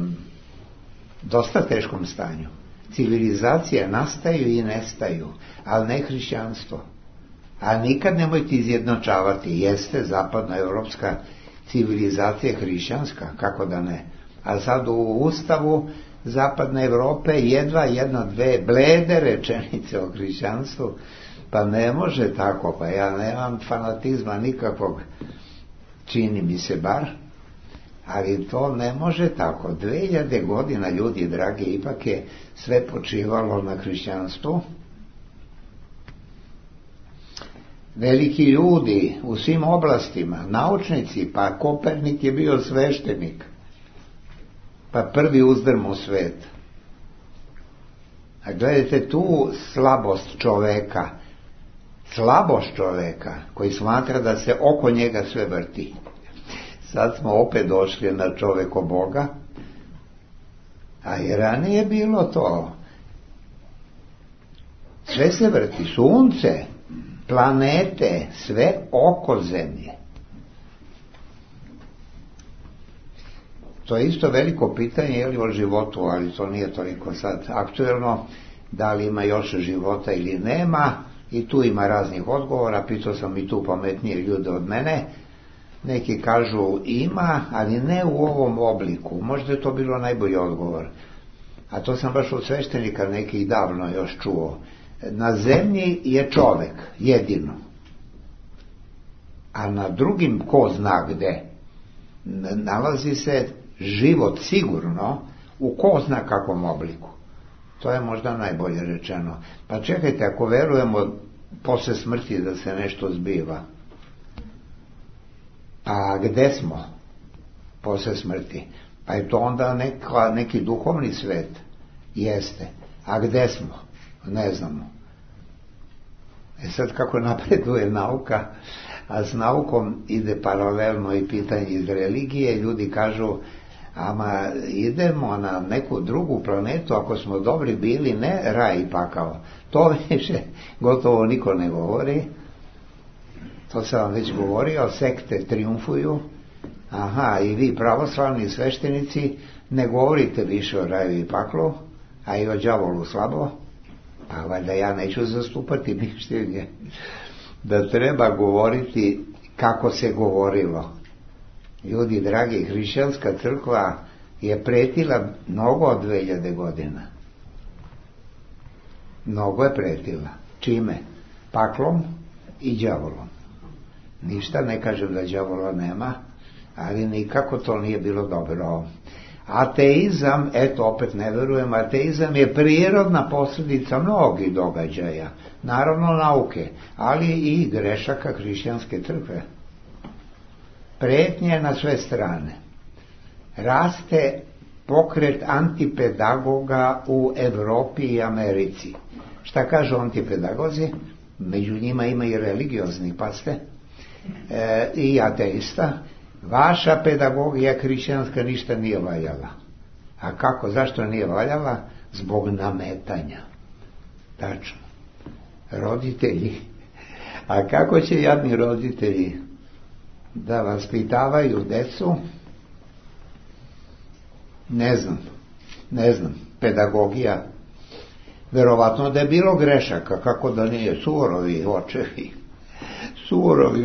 dosta teškom stanju. Civilizacije nastaju i nestaju, ali ne hrišćanstvo. A nikad nemojte izjednačavati, jeste zapadnoevropska civilizacija hrišćanska, kako da ne. A sad u Ustavu zapadne Evrope jedva 1-2 blede rečenice o hrišćanstvu, pa ne može tako, pa ja nemam fanatizma nikakvog, čini mi se bar, ali to ne može tako. 2000 godina, ljudi dragi, ipak je sve počivalo na hrišćanstvu. Veliki ljudi u svim oblastima, naučnici, pa Kopernik je bio sveštenik, pa prvi uzdrm u svet. A gledajte tu slabost čoveka koji smatra da se oko njega sve vrti. Sad smo opet došli na čoveko Boga, a i ranije bilo to. Sve se vrti, sunce, planete, sve oko zemlje. To je isto veliko pitanje, je li o životu, ali to nije toliko sad aktuelno, da li ima još života ili nema, i tu ima raznih odgovora, pitao sam i tu pametnije ljude od mene, Neki kažu ima, ali ne u ovom obliku. Možda je to bilo najbolji odgovor. A to sam baš od sveštenika nekih davno još čuo. Na zemlji je čovek, jedino. A na drugim ko zna gde nalazi se život sigurno u ko zna kakvom obliku. To je možda najbolje rečeno. Pa čekajte, ako verujemo posle smrti da se nešto zbiva, a gde smo posle smrti? Pa je to onda neki duhovni svet. Jeste. A gde smo? Ne znamo. Sad kako napreduje nauka, a s naukom ide paralelno i pitanje iz religije, ljudi kažu, ama idemo na neku drugu planetu, ako smo dobri bili, ne raj i pakao. To više gotovo niko ne govori. To sam vam već govorio, sekte triumfuju. Aha, i vi pravoslavni sveštenici ne govorite više o raju i paklu, a i o đavolu slabo. Pa valjda ja neću zastupati mišljenje da treba govoriti kako se govorilo. Ljudi dragi, hrišćanska crkva je pretila mnogo od 2000 godina. Mnogo je pretila. Čime? Paklom i đavolom. Ništa ne kažem da đavola nema, ali nikako to nije bilo dobro. Ateizam, eto opet ne verujem, ateizam je prirodna posljedica mnogih događaja, naravno nauke, ali i grešaka hrišćanske crkve. Pretnje na sve strane. Raste pokret antipedagoga u Evropi i Americi. Šta kažu antipedagozi? Među njima ima i religiozni, pazite, i ateista. Vaša pedagogija hrišćanska ništa nije valjala. A kako? Zašto nije valjala? Zbog nametanja. Tačno. Roditelji. A kako će jadni roditelji da vaspitavaju decu? Ne znam. Pedagogija. Verovatno da je bilo grešaka, kako da nije, surovi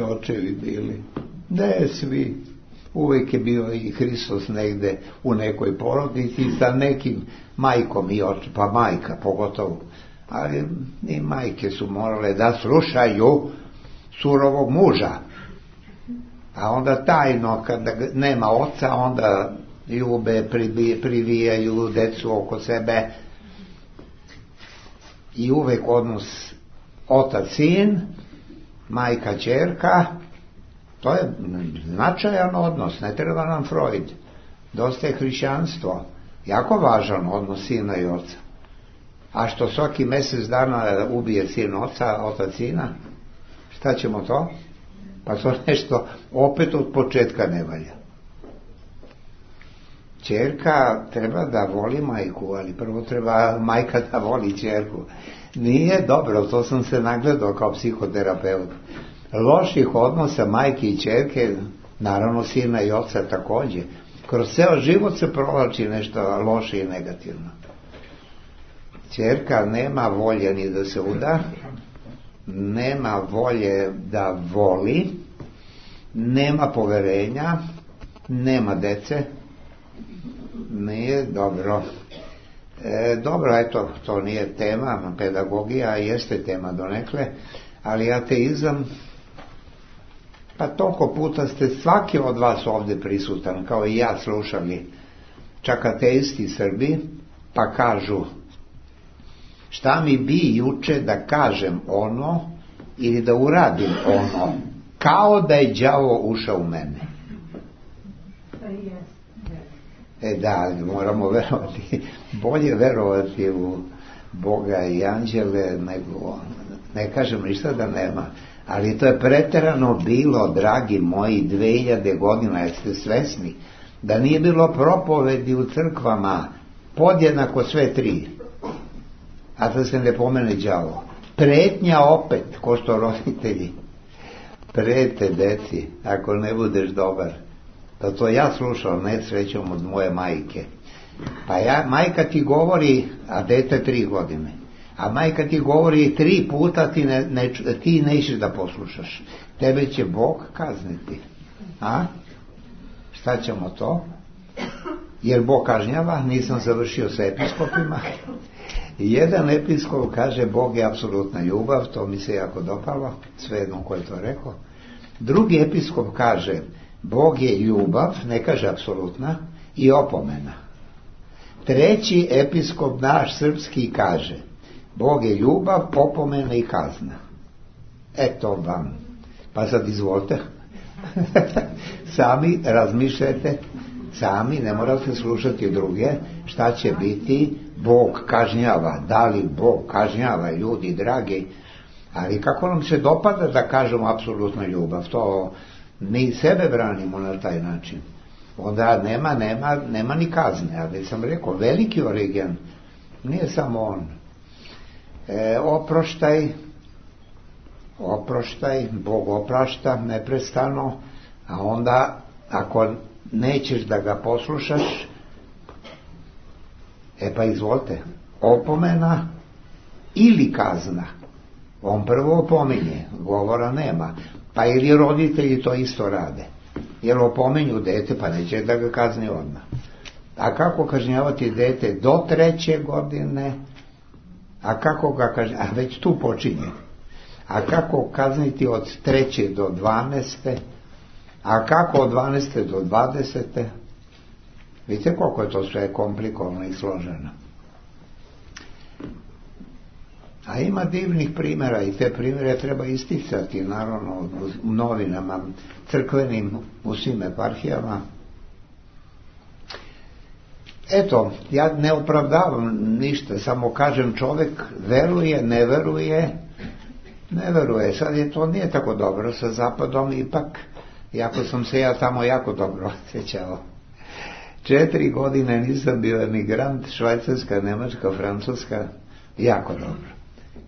očevi bili. Ne svi. Uvijek je bio i Hristos negde u nekoj porodici sa nekim majkom i očem, pa majka pogotovo. Ali i majke su morale da slušaju surovog muža. A onda tajno, kada nema oca, onda ljube, privijaju decu oko sebe. I uvijek odnos otac-sin, majka-ćerka. To je značajan odnos, ne treba nam Freud. Dosta je hrišćanstvo. Jako važan odnos sina i oca. A što svaki mjesec dana ubije sin oca, otac sina? Šta ćemo to? Pa to nešto opet od početka ne valja. Ćerka treba da voli majku, ali prvo treba majka da voli ćerku. Nije dobro, to sam se nagledao kao psihoterapeut. Loših odnosa majke i ćerke, naravno sina i oca također. Kroz ceo život se provlači nešto loše i negativno. Ćerka nema volje ni da se uda, nema volje da voli, nema poverenja, nema dece. Nije dobro. Dobro, eto, to nije tema, pedagogija jeste tema donekle, ali ateizam, pa toliko puta ste svaki od vas ovdje prisutan, kao i ja, slušali, čak ateisti Srbi, pa kažu, šta mi bi juče da kažem ono ili da uradim ono, kao da je đavo ušao u mene. Da, moramo verovati, bolje verovati u Boga i anđele nego, ne kažem ništa da nema, ali to je preterano bilo, dragi moji, 2000 godina, jeste svesni da nije bilo propovedi u crkvama podjednako sve tri, a da se ne pomene đavo. Pretnja opet, ko što roditelji prete deci, ako ne budeš dobar. Da to ja slušao, ne srećom od moje majke. Pa majka ti govori, a dete 3 godine. A majka ti govori 3 puta, ti nećeš da poslušaš. Tebe će Bog kazniti. A? Šta ćemo to? Jer Bog kažnjava, nisam završio sa episkopima. Jedan episkop kaže Bog je apsolutna ljubav, to mi se jako dopalo, svejedno ko je to rekao. Drugi episkop kaže Bog je ljubav, ne kaže apsolutna, i opomena. Treći episkop naš srpski kaže Bog je ljubav, opomena i kazna. Eto vam. Pa sad izvolite. Sami razmišljajte, sami, ne morate slušati druge, šta će biti. Bog kažnjava. Da li Bog kažnjava, ljudi dragi? Ali kako nam se dopada da kažemo apsolutna ljubav? To mi sebe branimo na taj način. Onda nema ni kazne. Ali sam rekao, veliki Origen, nije samo on. Oproštaj, Bog oprašta neprestano, a onda ako nećeš da ga poslušaš, pa izvolite, opomena ili kazna. On prvo opominje, govora nema. Pa ili roditelji to isto rade. Jer opominju dete, pa neće da ga kazni odmah. A kako kažnjavati dete do 3. godine? A kako ga kažnjavati? A već tu počinje. A kako kazniti od 3. do 12. A kako od 12. do 20. Vidite koliko je to sve komplikovano i složeno. A ima divnih primjera i te primjere treba isticati, naravno, u novinama, crkvenim, u svim eparhijama. Eto, ja ne opravdavam ništa, samo kažem čovjek veruje, ne veruje. Sad je to nije tako dobro sa Zapadom, ipak, iako sam se ja tamo jako dobro osjećao. 4 godine nisam bio emigrant, Švajcarska, Njemačka, Francuska, jako dobro.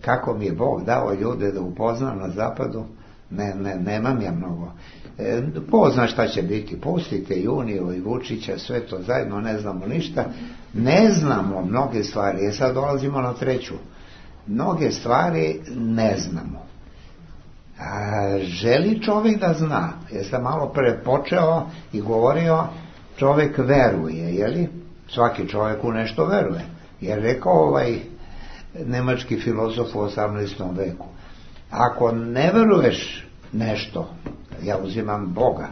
Kako mi je Bog dao ljude da upoznam na Zapadu, nemam ja mnogo. Pozna šta će biti, pustite Juniju i Vučića, sve to zajedno, ne znamo ništa, ne znamo mnoge stvari, sad dolazimo na 3. Mnoge stvari ne znamo. Želi čovjek da zna, jer sam malo pre počeo i govorio, čovjek veruje, jeli? Svaki čovjek u nešto veruje, jer rekao nemački filozof u 18. veku, ako ne veruješ nešto, ja uzimam Boga,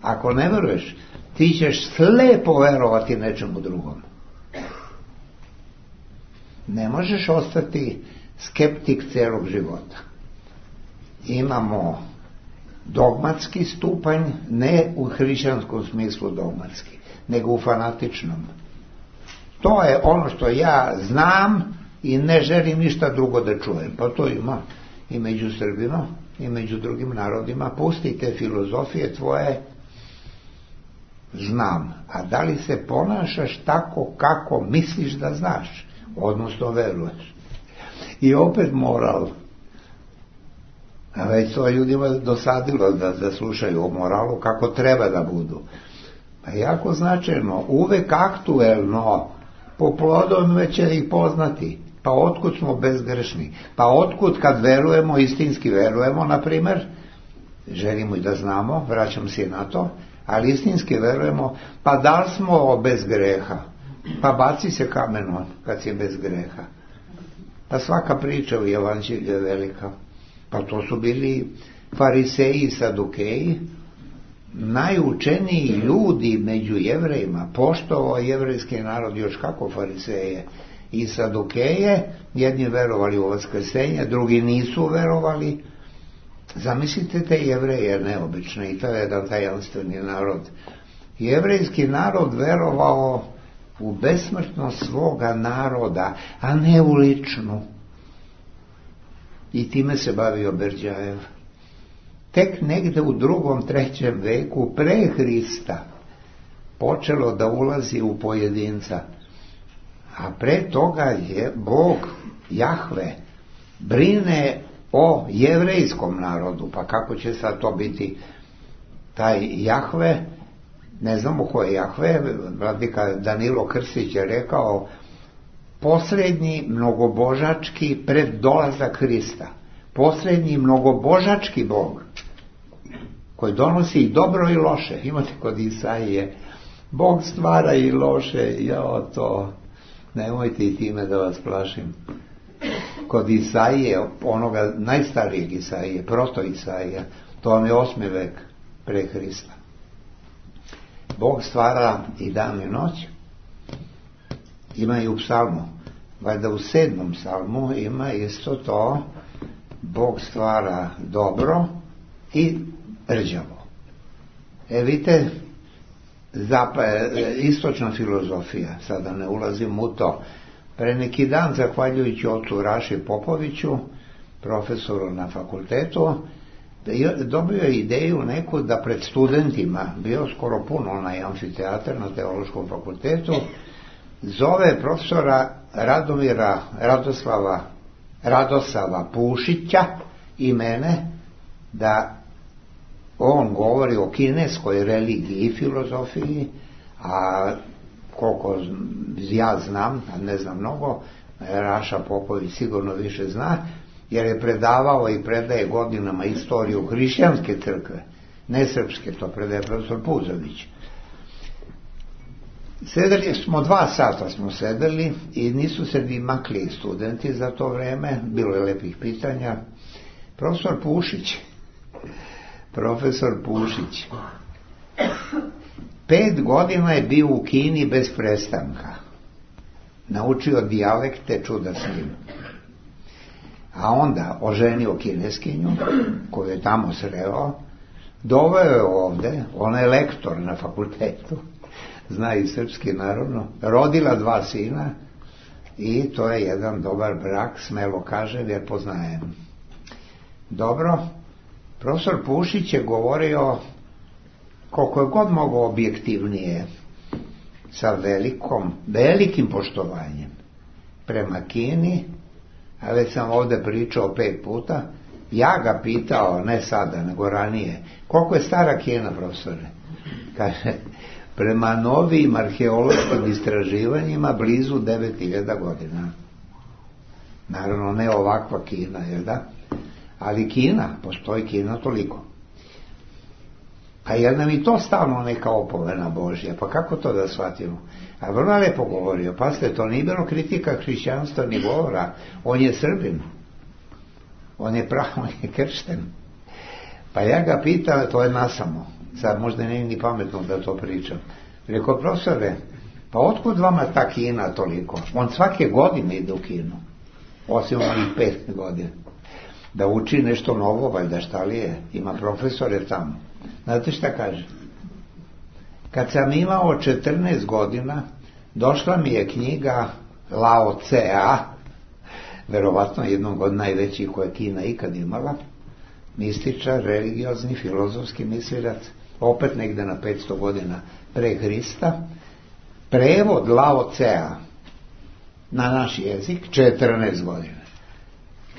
ako ne veruješ, ti ćeš slepo verovati nečemu drugom. Ne možeš ostati skeptik cijelog života. Imamo dogmatski stupanj, ne u hrišćanskom smislu dogmatski, nego u fanatičnom. To je ono što ja znam i ne želim ništa drugo da čujem. Pa to ima i među Srbima i među drugim narodima. Pustite filozofije tvoje, znam. A da li se ponašaš tako kako misliš da znaš, odnosno veruješ? I opet moral. A već to ljudima dosadilo da slušaju o moralu kako treba da budu. Pa jako značajno, uvek aktuelno, po plodovima će ih poznati. Pa otkud smo bezgrešni? Pa otkud kad verujemo, istinski verujemo, na primjer, želimo i da znamo, vraćam se na to, ali istinski verujemo, pa da li smo bez greha? Pa baci se kamenom kad si bez greha. Pa svaka priča u Evanđelju je velika. Pa to su bili fariseji i sadukeji, najučeniji ljudi među Jevrejima, poštovao jevrejski narod još kako fariseje i sadukeje, jedni verovali u vaskrsenje, drugi nisu verovali. Zamislite te Jevreje neobične, i to je jedan tajanstveni narod. Jevrejski narod verovao u besmrtnost svoga naroda, a ne u ličnu. I time se bavio Berđajev. Tek negde u 2. 3. veku pre Hrista počelo da ulazi u pojedinca. A pre toga je Bog, Jahve, brine o jevrejskom narodu. Pa kako će sad to biti taj Jahve? Ne znamo ko je Jahve. Vladika Danilo Krstić je rekao posrednji mnogobožački pred dolazak Hrista. Posrednji mnogobožački Bog koji donosi i dobro i loše. Imate kod Isaije, Bog stvara i loše, to, nemojte i time da vas plašim. Kod Isaije, onoga najstarijeg Isaije, proto Isaija, to vam je 8. vek pre Hrista. Bog stvara i dan i noć. Ima i u psalmu. Valjda u 7. psalmu ima isto to, Bog stvara dobro i rđavo. Vidite, istočna filozofija, sada ne ulazim u to. Pre neki dan, zahvaljujući ocu Raši Popoviću, profesoru na fakultetu, dobio je ideju neku da pred studentima, bio skoro puno onaj amfiteatar na teološkom fakultetu, zove profesora Radosava Pušića i mene da on govori o kineskoj religiji i filozofiji, a koliko ja znam, a ne znam mnogo, Raša Popović sigurno više zna, jer je predavao i predaje godinama istoriju hrišćanske crkve, ne srpske, to predaje profesor Puzović. Sedeli smo 2 sata sedeli i nisu se ni makli studenti za to vreme, bilo je lepih pitanja. Profesor Pušić 5 godina je bio u Kini bez prestanka, naučio dijalekte, čuda s njim, a onda oženio kineskinju koju je tamo sreo, doveo je ovde, ona je lektor na fakultetu, zna i srpski naravno, rodila 2 sina i to je jedan dobar brak, smelo kažem jer poznajem. Dobro, profesor Pušić je govorio koliko je god mogao objektivnije, sa velikim poštovanjem prema Kini, a već sam ovde pričao 5 puta, ja ga pitao, ne sada, nego ranije, koliko je stara Kina, profesore? Kaže, prema novim arheološkim istraživanjima blizu 9000 godina. Naravno, ne ovakva Kina, jel da? Ali Kina, postoji Kina toliko. Pa je nam i to stalno neka opomena Božja, pa kako to da shvatimo? A vrlo lepo govorio, pazite, to nije bilo kritika hrišćanstva ni govora, on je Srbin, on je kršten. Pa ja ga pitam, to je nasamo, sad možda nije ni pametno da to pričam. Rekao, profesore, pa otkud vama ta Kina toliko? On svake godine ide u Kinu, osim onih 5 godina, da uči nešto novo, valjda šta li je, ima profesore tamo. Znate šta kaže? Kad sam imao 14 godina, došla mi je knjiga Lao Tse-a, verovatno jednog od najvećih koje Kina ikad imala, mističar, religiozni, filozofski mislilac, opet negde na 500 godina pre Hrista, prevod Lao Tse-a na naš jezik, 14 godina.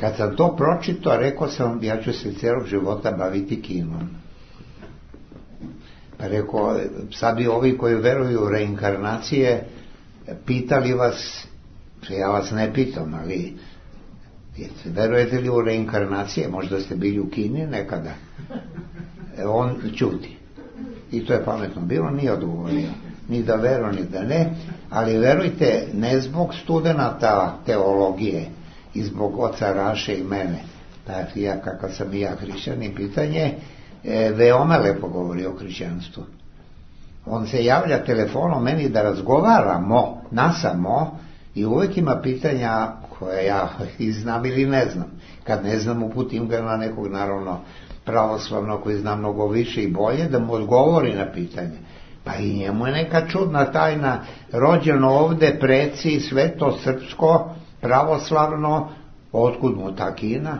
Kad sam to pročitao, rekao sam, ja ću se cijelog života baviti Kinom. Pa rekao, sad bi ovi koji veruju u reinkarnacije pitali vas, ja vas ne pitam, ali verujete li u reinkarnacije? Možda ste bili u Kini nekada. On ćuti. I to je pametno bilo, nije odgovorio. Ni da veru, ni da ne. Ali verujte, ne zbog studenata teologije i zbog oca Raše i mene. Pa ja, kakav sam i ja hrišćanin, pitanje veoma lepo govori o hrišćanstvu. On se javlja telefonom meni da razgovaramo nasamo i uvijek ima pitanja koje ja znam ili ne znam. Kad ne znam, uputim ga na nekog naravno pravoslavno koji zna mnogo više i bolje da mu odgovori na pitanje. Pa i njemu je neka čudna tajna, rođeno ovde, preci, sve to srpsko, pravoslavno, otkud mu ta Kina?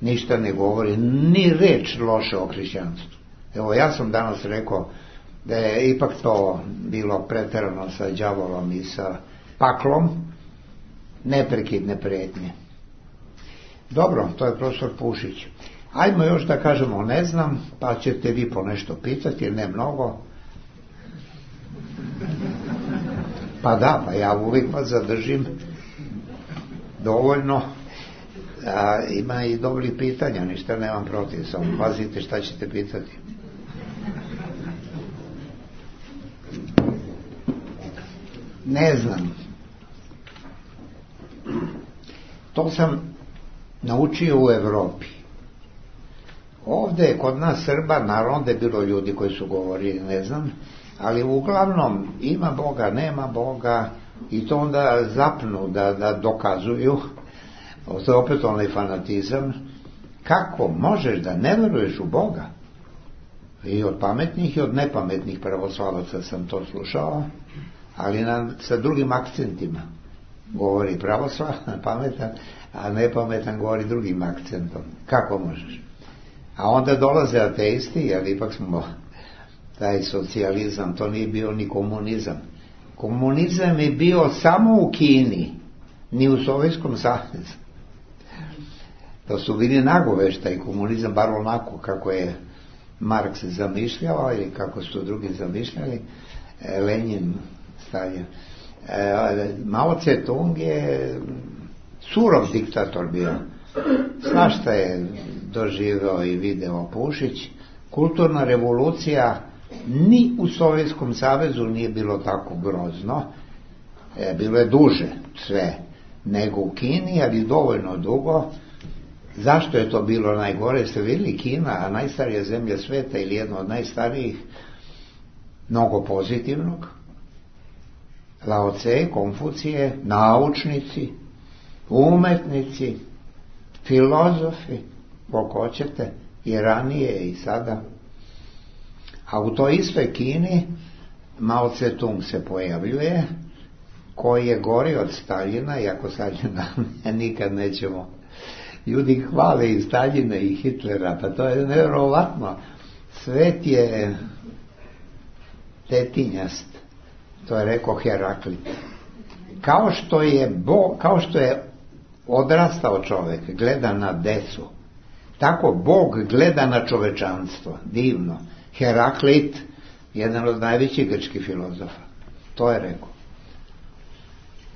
Ništa ne govori, ni reč loše o hrišćanstvu. Evo, ja sam danas rekao da je ipak to bilo preterano sa đavolom i sa paklom, neprekidne pretnje. Dobro, to je profesor Pušić. Ajmo još da kažemo ne znam, pa ćete vi po nešto pitati, ne mnogo. Pa da, pa ja uvijek vas zadržim dovoljno. Ima i dobrih pitanja, ništa nemam protiv, samo pazite šta ćete pitati. Ne znam. To sam naučio u Evropi. Ovdje kod nas Srba, naravno da je bilo ljudi koji su govorili, ne znam, ali uglavnom ima Boga, nema Boga, i to onda zapnu da dokazuju. To je opet onaj fanatizam. Kako možeš da ne veruješ u Boga? I od pametnih i od nepametnih pravoslavaca sam to slušao, ali sa drugim akcentima. Govori pravoslavan, pametan, a nepametan govori drugim akcentom. Kako možeš? A onda dolaze ateisti, jer ipak smo taj socijalizam, to nije bio ni komunizam. Komunizam je bio samo u Kini, ni u Sovjetskom savezu. To su bili nagoveštaj, komunizam, bar onako kako je Marks zamišljao ili kako su drugi zamišljali, Lenin, Stalin. Mao Tse-tung je surov diktator bio. Svašta je doživeo i video Pušić. Kulturna revolucija ni u Sovjetskom savezu nije bilo tako grozno. Bilo je duže sve nego u Kini, ali dovoljno dugo. Zašto je to bilo najgore? Ste vidjeli, Kina, najstarija zemlja sveta ili jedna od najstarijih, mnogo pozitivnog. Lao Tse, Konfucije, naučnici, umetnici, filozofi, koliko hoćete, i ranije i sada. A u toj istoj Kini Mao Tse-tung se pojavljuje, koji je gori od Staljina, iako Staljina nikad nećemo. Ljudi hvale i Staljina i Hitlera, pa to je nevjerovatno. Svet je tetinjast, to je rekao Heraklit. Kao što je odrastao čovjek, gleda na decu, tako Bog gleda na čovečanstvo. Divno. Heraklit, jedan od najvećih grčkih filozofa, to je rekao.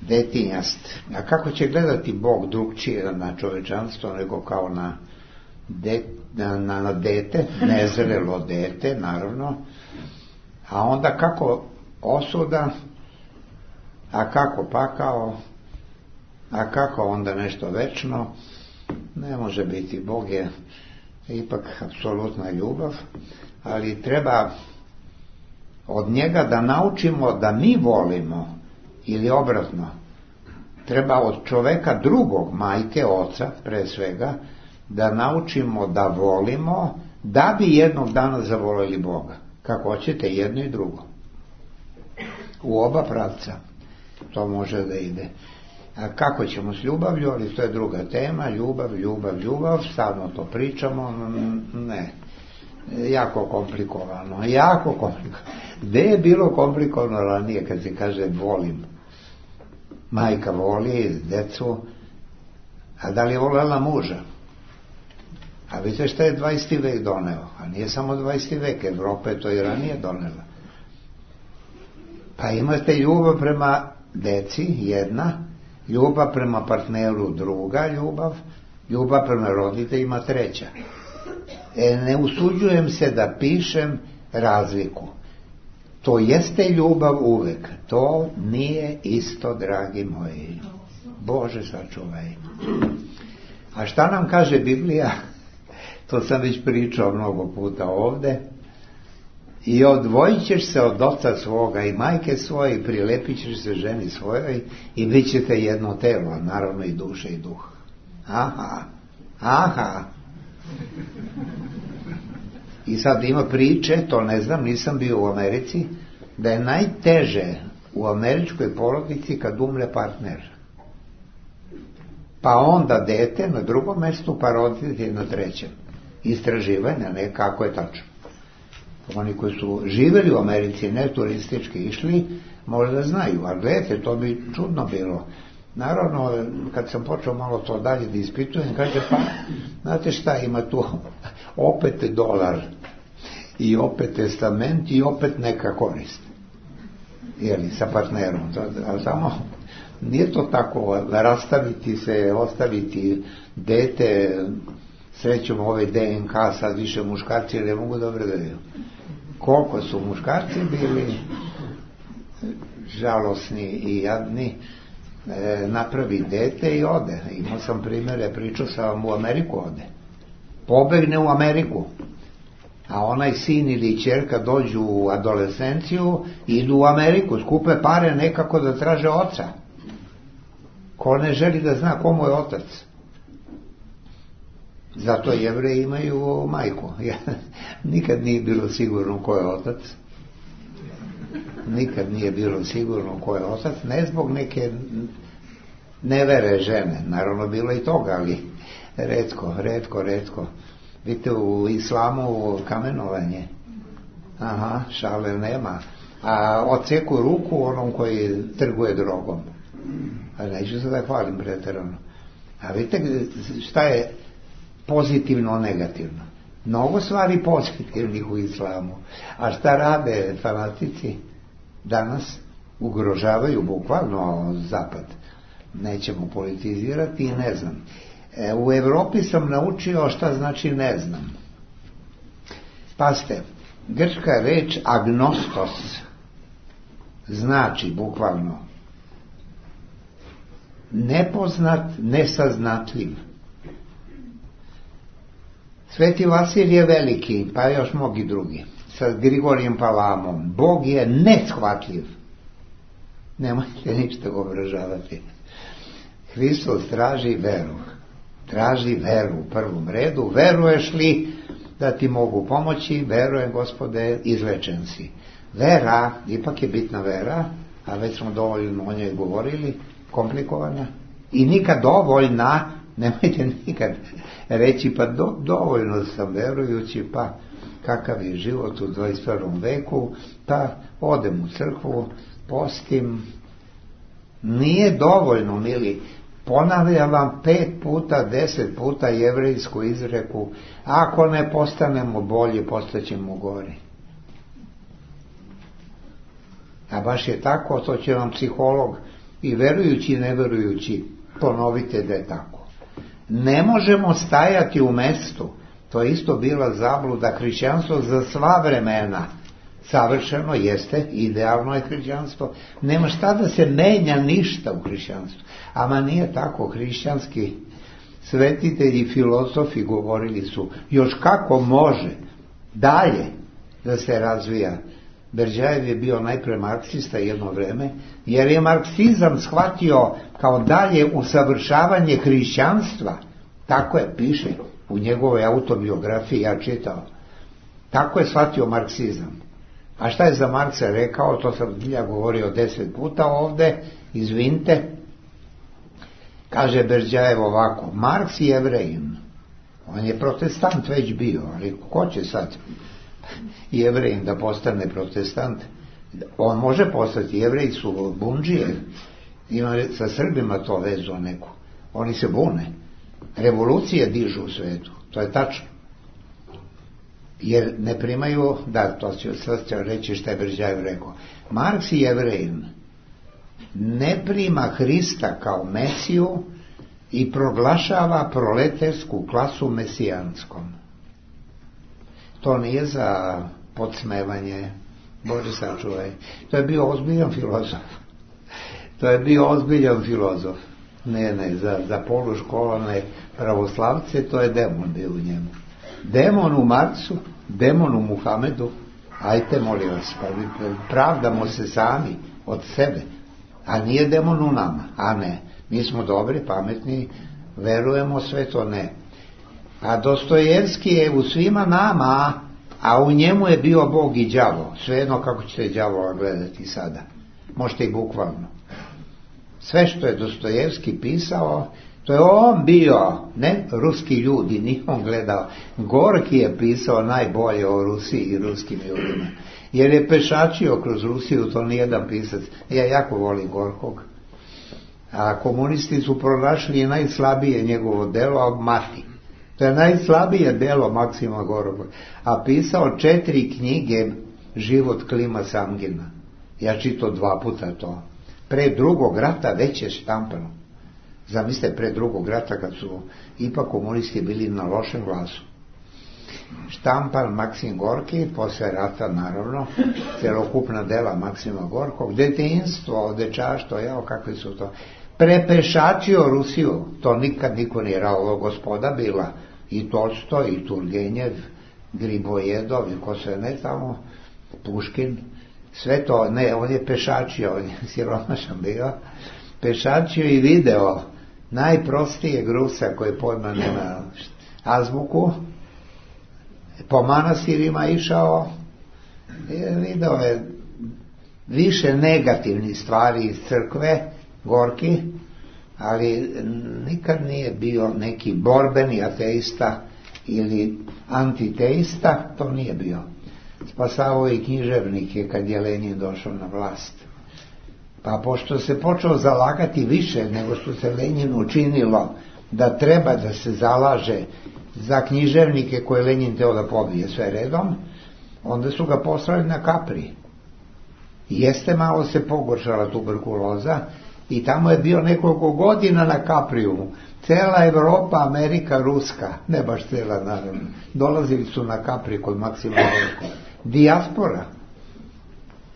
Detinjast. A kako će gledati Bog drugčije na čovečanstvo nego kao na dete, nezrelo dete, naravno. A onda kako osuda, a kako pakao, a kako onda nešto večno, ne može biti. Bog je ipak apsolutna ljubav, ali treba od njega da naučimo da mi volimo, ili obratno. Treba od čoveka drugog, majke, oca, pre svega, da naučimo da volimo, da bi jednog dana zavoljeli Boga. Kako hoćete, jedno i drugo. U oba pravca to može da ide. A kako ćemo s ljubavlju, ali to je druga tema. Ljubav, stalno to pričamo, ne. Jako komplikovano. Gde je bilo komplikovano ranije kad se kaže volim? Majka voli decu, a da li je voljela muža? A vidite šta je 20. vek doneo? A nije samo 20. vek, Evropa je to i ranije donela. Pa imate ljubav prema deci, jedna, ljubav prema partneru, druga ljubav prema roditeljima, treća. Ne usuđujem se da pišem razliku. To jeste ljubav uvek. To nije isto, dragi moji. Bože sačuvaj. A šta nam kaže Biblija? To sam već pričao mnogo puta ovde. I odvojit ćeš se od oca svoga i majke svoje i prilepit ćeš se ženi svojoj i bit ćete jedno telo, naravno i duša i duh. Aha. I sad ima priče, to ne znam, nisam bio u Americi, da je najteže u američkoj porodici kad umre partner. Pa onda dete na drugom mjestu, pa roditelj na trećem. Istraživanja, ne kako je tačno. Oni koji su živjeli u Americi, ne turistički išli, možda znaju, ali gledajte, to bi čudno bilo. Naravno, kad sam počeo malo to dalje da ispitujem, kaže, pa, znate šta, ima tu opet $1 i opet testament i opet neka korist. Jeli, sa partnerom. Ali samo, nije to tako, rastaviti se, ostaviti dete, srećom ove DNK, sad više muškarci ne mogu dobro da vidim. Koliko su muškarci bili, žalosni i jadni, napravi dete i ode. Imao sam primjere, pričao sam, u Ameriku ode. Pobegne u Ameriku. A onaj sin ili ćerka dođu u adolescenciju i idu u Ameriku, skupe pare nekako da traže oca. Ko ne želi da zna komu je otac? Zato Jevreji imaju majku. Nikad nije bilo sigurno ko je otac. Nikad nije bilo sigurno ko je otac. Ne zbog neke nevere žene. Naravno bilo i toga, ali retko. Vidite, u islamu kamenovanje. Aha, šale nema. A odseku ruku onom koji trguje drogom. A neću se da hvalim pretjerano. A vidite šta je pozitivno, negativno. Mnogo stvari pozitivnih u islamu. A šta rade fanatici danas? Ugrožavaju bukvalno zapad. Nećemo politizirati i ne znam. U Evropi sam naučio šta znači ne znam. Pazite, grčka reč agnostos znači bukvalno nepoznat, nesaznatljiv. Sveti Vasilije Veliki, pa još mnogi drugi, sa Grigorijem Palamom, Bog je neshvatljiv. Nemojte ništa ga obražavati. Hristos traži veru. Traži veru u prvom redu. Veruješ li da ti mogu pomoći? Verujem, Gospode, izlečen si. Vera, ipak je bitna vera, a već smo dovoljno o njoj govorili, komplikovana. I nikad dovoljna, nemojte nikad reći pa dovoljno sam verujući, pa kakav je život u 21. veku, pa odem u crkvu, postim. Nije dovoljno, mili. Ponavljam vam 5 puta, 10 puta jevrejsku izreku: ako ne postanemo bolji, postaćemo gori. A baš je tako, to će vam psiholog i verujući i neverujući ponovite da je tako. Ne možemo stajati u mestu. To je isto bila zabluda. Hrišćanstvo za sva vremena savršeno jeste, idealno je hrišćanstvo. Nema šta da se menja ništa u hrišćanstvu. Ama nije tako. Hrišćanski svetitelji, filozofi govorili su još kako može dalje da se razvija. Berdjajev je bio najpre marksista jedno vreme, jer je marksizam shvatio kao dalje usavršavanje hrišćanstva. Tako je, piše u njegovoj autobiografiji, ja čitao. Tako je shvatio marksizam. A šta je za Marksa rekao, to sam ja govorio 10 puta ovde, izvinite. Kaže Berdjajev ovako: Marks je Jevrejin. On je protestant već bio, ali ko će sad Jevrejin da postane protestant? On može postati, Jevreji su bundžije, ima sa Srbima to vezu neku. Oni se bune. Revolucije dižu u svetu, to je tačno. Jer ne primaju, da, to ću sad reći šta je Berdjajev rekao. Marks i Jevrejin ne prima Hrista kao Mesiju i proglašava proletersku klasu mesijanskom. To nije za podsmevanje, Bože sačuvaj. To je bio ozbiljan filozof. Ne, za poluškolane pravoslavce to je demon bio u njemu. Demon u Marksu, demon u Muhamedu. Ajte, molim vas, pa pravdamo se sami od sebe. A nije demon u nama, a ne. Mi smo dobri, pametni, verujemo sve to, ne. A Dostojevski je u svima nama, a u njemu je bio Bog i đavo. Svejedno kako ćete đavola gledati sada. Možete i bukvalno. Sve što je Dostojevski pisao, to je on bio, ne ruski ljudi, nije on gledao. Gorki je pisao najbolje o Rusiji i ruskim ljudima. Jer je pešačio kroz Rusiju, to nijedan pisac. Ja jako volim Gorkog. A komunisti su pronašli najslabije njegovo delo, Mati. To je najslabije delo Maksima Gorkog. A pisao 4 knjige Život Klima Samgina. Ja čitao 2 puta to. Pre drugog rata već je štampano. Zamislite, pre drugog rata kad su ipak komunisti bili na lošem glasu. štampan Maksim Gorki, posle rata naravno, celokupna dela Maksima Gorkog, detinjstvo, dečaštvo, jao kakvi su to, prepešačio Rusiju, to nikad niko nije rao, gospoda bila, i Tolstoj, i Turgenjev, Gribojedov, i ko se ne tamo, Puškin, sve to, ne, on je pešačio, on je siromašan bio, pešačio i video najprostijeg Rusa koji pojma nema azbuku, po manastirima išao, video je više negativnih stvari iz crkve, Gorki, ali nikad nije bio neki borbeni ateista ili antiteista, to nije bio. Spasavao i književnike kad je Lenin došao na vlast. Pa pošto se počeo zalagati više nego što se Leninu učinilo da treba da se zalaže za književnike koje Lenin teo da pobije sve redom, onda su ga poslali na Kapri. Jeste malo se pogoršala tuberkuloza i tamo je bio nekoliko godina na Kapriju. Cela Evropa, Amerika, Ruska, ne baš cela naravno, dolazili su na Kapri kod Maksima Gorkog. Dijaspora,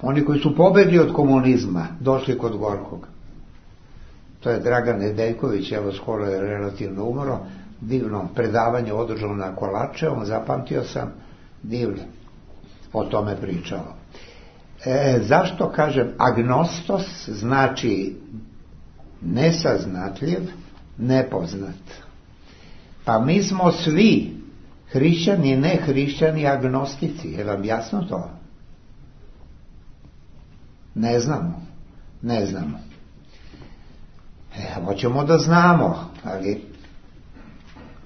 oni koji su pobegli od komunizma, došli kod Gorkog. To je Dragan Nedeljković, evo skoro je relativno umro, divno predavanje održano na Kolačevom, zapamtio sam, divno o tome pričao. Zašto kažem agnostos, znači nesaznatljiv, nepoznat. Pa mi smo svi hrišćani i nehrišćani agnostici, je vam jasno to? Ne znamo. Hoćemo da znamo, ali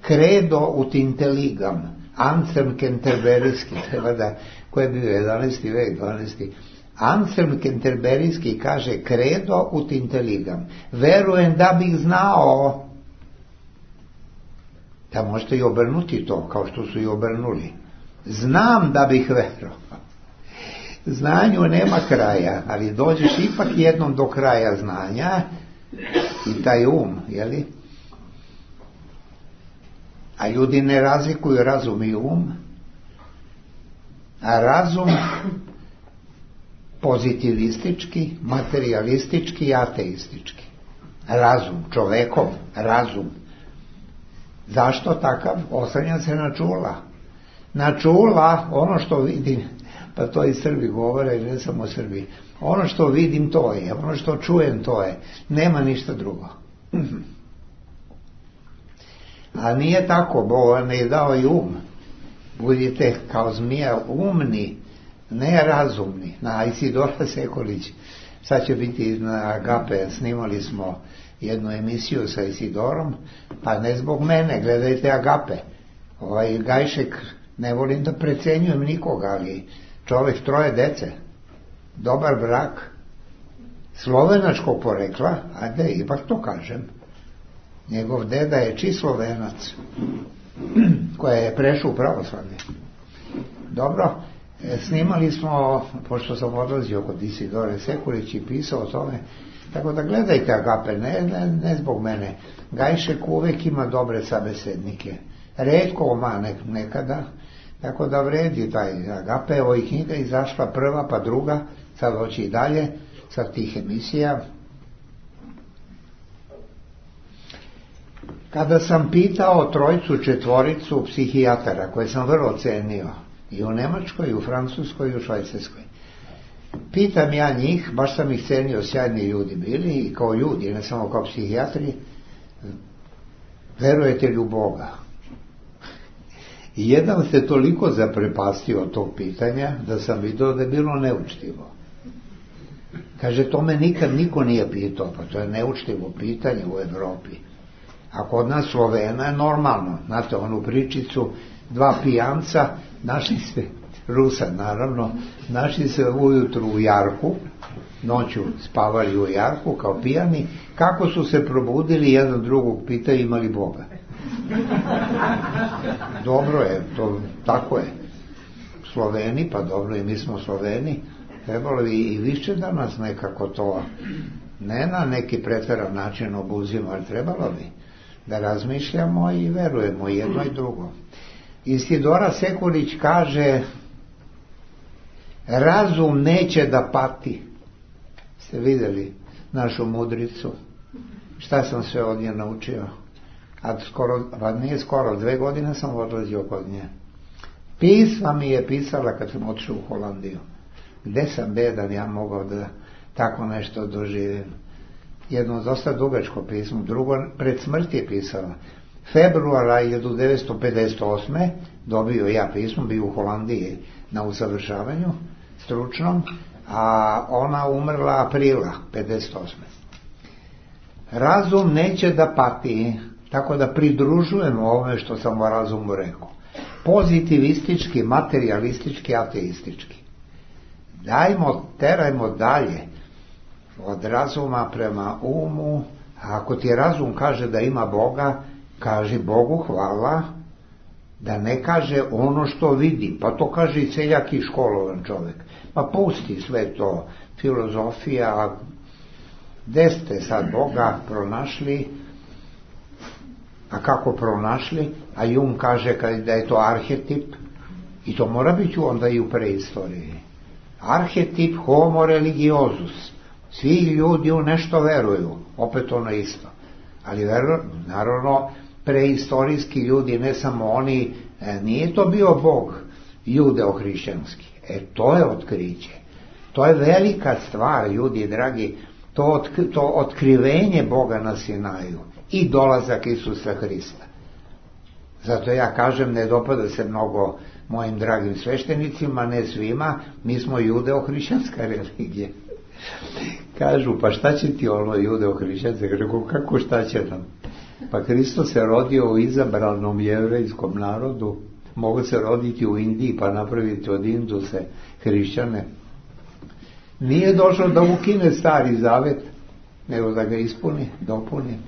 credo ut intelligam, Anselm Kenterberijski, treba da, ko je bio 11. vek, 12. Anselm Kenterberijski kaže credo ut intelligam, verujem da bih znao. Da možete i obrnuti to, kao što su i obrnuli. Znam da bih verovao. Znanju nema kraja, ali dođeš ipak jednom do kraja znanja i taj jeli? A ljudi ne razlikuju razum i a razum pozitivistički, materialistički i ateistički. Razum, čovekov razum. Zašto takav? Oslanja se na čula. Na čula, ono što vidim, pa to i Srbi govore, ne samo Srbi, ono što vidim to je, ono što čujem to je, nema ništa drugo. A nije tako, Bog vam je dao i budite kao zmija umni, ne razumni. Na Isidora Sekulić, sad će biti na Agape, snimali smo jednu emisiju sa Isidorom, pa ne zbog mene, gledajte Agape. Gajšek, ne volim da precenjujem nikoga, ali čovjek 3 dece, dobar brak, slovenačkog porekla, ajde, ipak to kažem. Njegov deda je čist Slovenac, koja je prešao u pravoslavlje. Dobro, snimali smo, pošto sam odlazio kod Isidore Sekulić i pisao o tome, tako da gledajte Agape, ne zbog mene. Gajšek uvek ima dobre sabesednike. Retko nekada, tako da vredi taj Agape. Evo i knjiga izašla prva, pa druga, sad hoće i dalje, sa tih emisija. Kada sam pitao 3, 4 psihijatara, koje sam vrlo cenio, i u Nemačkoj, i u Francuskoj, i u Švajcarskoj, pitam ja njih, baš sam ih cenio, sjajni ljudi bili, i kao ljudi, ne samo kao psihijatri, verujete li u Boga? I jedan se toliko zaprepastio od tog pitanja, da sam vidio da je bilo neučtivo. Kaže, to me nikad niko nije pitao, pa to je neučtivo pitanje u Evropi. A kod nas Slovena je normalno, znate, onu pričicu, 2 pijanca, našli se, Rusa naravno, našli se ujutru u jarku, noću spavali u jarku kao pijani, kako su se probudili, jedan drugog pitaju imali Boga. Dobro je, to tako je. Sloveni, pa dobro, i mi smo Sloveni, trebalo bi i više da nas nekako to, ne na neki pretjeran način obuzimo, ali trebalo bi da razmišljamo i verujemo jedno i drugo. Isidora Sekulić kaže, razum neće da pati. Ste vidjeli našu mudricu? Šta sam sve od nje naučio? Nije skoro, 2 godine sam odlazio kod nje. Pisma mi je pisala kad sam otišao u Holandiju. Gde sam bedan ja mogao da tako nešto doživim? Jedno dosta dugačko pismo, drugo pred smrti je pisala. Februara 1958. dobio ja pismo, bio u Holandiji na usavršavanju stručnom, a ona umrla aprila 58. Razum neće da pati, tako da pridružujemo ovome što sam o razumu rekao. Pozitivistički, materialistički, ateistički. Terajmo dalje od razuma prema umu. A ako ti razum kaže da ima Boga, kaži Bogu hvala, da ne kaže ono što vidi. Pa to kaže i seljak i školovan čovjek. Pa pusti sve to, filozofija. Gde ste sad Boga pronašli? A kako pronašli? A Jung kaže da je to arhetip, i to mora biti onda i u preistoriji. Arhetip homo religiosus. Svi ljudi u nešto veruju, opet ono isto. Ali naravno preistorijski ljudi, ne samo oni, nije to bio Bog judeo-hrišćanski. To je otkriće. To je velika stvar, ljudi dragi, to otkrivenje Boga na Sinaju i dolazak Isusa Hrista. Zato ja kažem, ne dopada se mnogo mojim dragim sveštenicima, ne svima, mi smo judeo-hrišćanska religija. Kažu, pa šta će ti ono judeo-hrišćanska? Kako šta će nam? Pa Hristos se rodio u izabranom jevrejskom narodu, mogu se roditi u Indiji pa napraviti od Induse hrišćane. Nije došlo da ukine Stari Zavet, nego da ga ispuni, dopuni.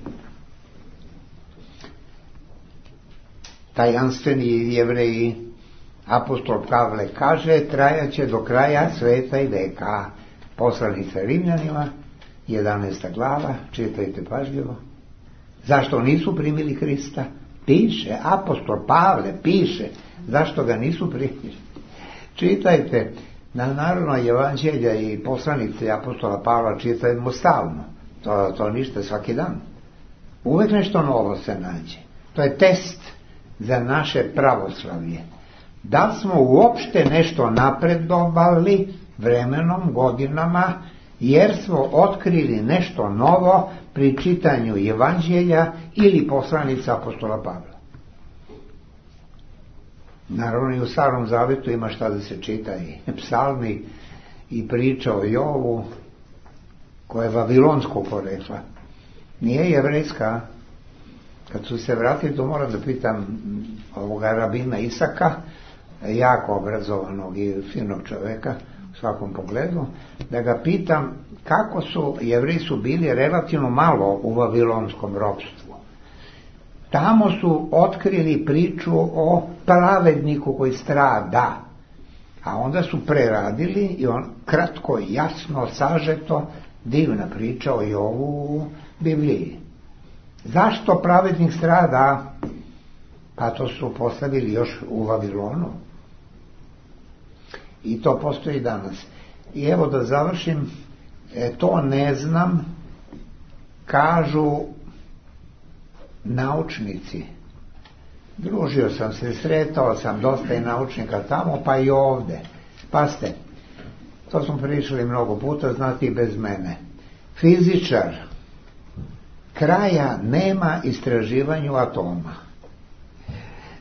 Tajanstveni Jevreji, apostol Pavle kaže, trajaće do kraja sveta i veka. Poslanica Rimljanima, 11. glava, čitajte pažljivo. Zašto nisu primili Hrista? Piše, apostol Pavle piše, zašto ga nisu primili. Čitajte, naravno evanđelja i poslanice apostola Pavla čitajmo stalno, to ništa, svaki dan. Uvijek nešto novo se nađe. To je test za naše pravoslavlje. Da smo uopšte nešto napredovali vremenom, godinama, jer smo otkrili nešto novo pri čitanju evanđelja ili poslanica apostola Pavla. Naravno i u Starom Zavetu ima šta da se čita, i psalmi i priča o Jovu, koja je vavilonskog porekla. Nije jevrejska. Kad su se vratili, to moram da pitam ovoga rabina Isaka, jako obrazovanog i finog čoveka u svakom pogledu, da ga pitam kako su Jevreji su bili relativno malo u vavilonskom ropstvu. Tamo su otkrili priču o pravedniku koji strada, a onda su preradili i on kratko, jasno, sažeto, divna priča o Jovu u Bibliji. Zašto pravednik strada? Pa to su postavili još u Vavilonu. I to postoji danas. I evo da završim, to ne znam, kažu naučnici. Družio sam se, sretao sam dosta i naučnika tamo, pa i ovde. Pazite, to smo pričali mnogo puta, znate i bez mene. Fizičar kraja nema istraživanju atoma.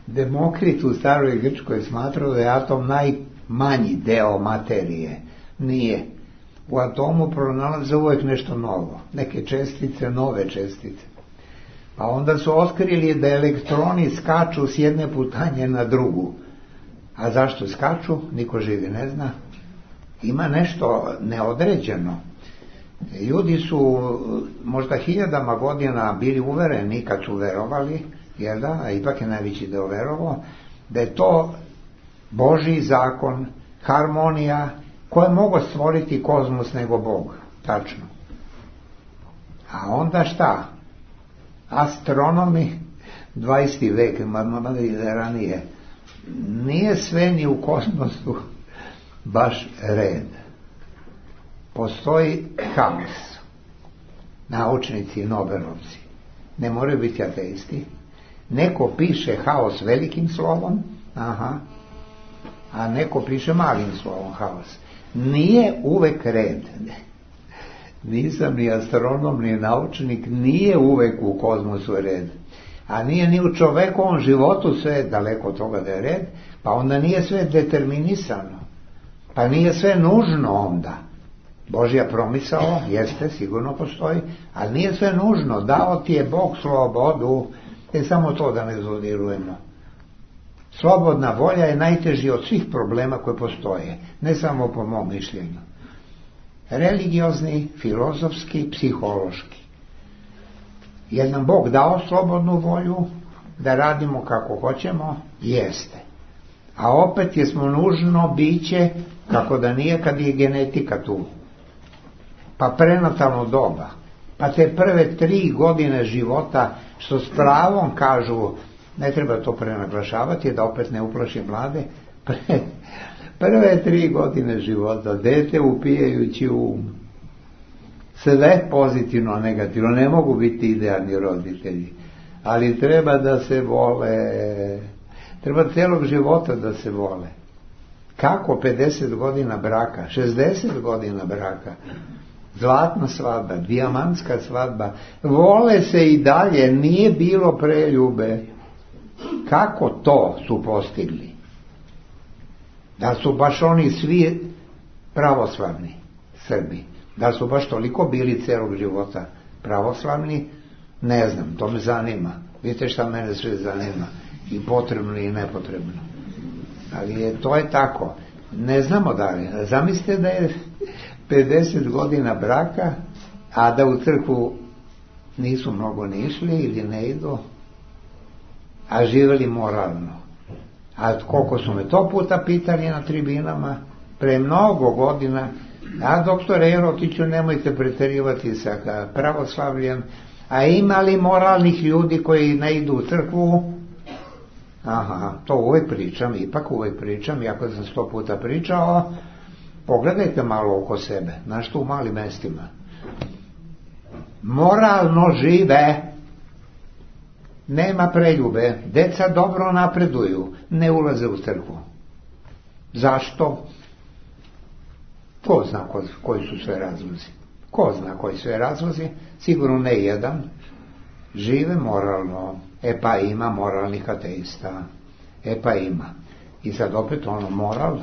Demokrit u staroj Grčkoj smatrao da je atom najmanji deo materije. Nije. U atomu pronalaze uvijek nešto novo. Neke čestice, nove čestice. Pa onda su otkrili da elektroni skaču s jedne putanje na drugu. A zašto skaču? Niko živi ne zna. Ima nešto neodređeno. Ljudi su možda 1000 godina bili uvereni kad su verovali, jer da, a ipak je najveći deo verovao, da je to Božji zakon, harmonija, koje mogu stvoriti kozmos nego Bog. Tačno. A onda šta? Astronomi, 20. vek, ranije, nije sve ni u kosmosu baš red. Postoji haos. Naučnici i Nobelovci ne moraju biti ateisti. Neko piše haos velikim slovom, a neko piše malim slovom haos. Nije uvek red. Nisam ni astronom, ni naučnik, nije uvek u kozmosu red. A nije ni u čovekovom životu sve daleko od toga da je red, pa onda nije sve determinisano. Pa nije sve nužno onda. Božja promisao, jeste, sigurno postoji, ali nije sve nužno. Dao ti je Bog slobodu, samo to da ne zodirujemo. Slobodna volja je najteži od svih problema koje postoje, ne samo po mom mišljenju. Religiozni, filozofski, psihološki. Je nam Bog dao slobodnu volju da radimo kako hoćemo? Jeste. A opet jesmo nužno biće, kako da nije kad je genetika tu. Pa prenatalno doba, pa te prve 3 godine života, što s pravom kažu, ne treba to prenaglašavati, da opet ne uplaši mlade, prve 3 godine života, dete upijajući sve pozitivno, negativno, ne mogu biti idealni roditelji, ali treba da se vole, treba celog života da se vole. Kako 50 godina braka, 60 godina braka, zlatna svadba, dijamantska svadba, vole se i dalje, nije bilo preljube. Kako to su postigli? Da su baš oni svi pravoslavni Srbi, da su baš toliko bili celog života pravoslavni, ne znam, to me zanima. Vidite šta mene sve zanima, i potrebno i nepotrebno. Ali to je tako. Ne znamo da li. Zamislite da je 50 godina braka, a da u crkvu nisu mnogo ni išli ili ne idu, a živjeli moralno. A koliko su me to puta pitali na tribinama, pre mnogo godina, a doktore Jerotiću, nemojte preterivati sa pravoslavljem, a ima li moralnih ljudi koji ne idu u crkvu? To uvijek pričam, ipak uvijek pričam, iako sam 100 puta pričao, pogledajte malo oko sebe, znaš tu u malim mestima. Moralno žive, nema preljube, deca dobro napreduju, ne ulaze u crkvu. Zašto? Ko zna koji su sve razlozi? Ko zna koji sve razlozi? Sigurno ne jedan. Žive moralno. Pa ima moralnih ateista. Pa ima. I sad opet moral.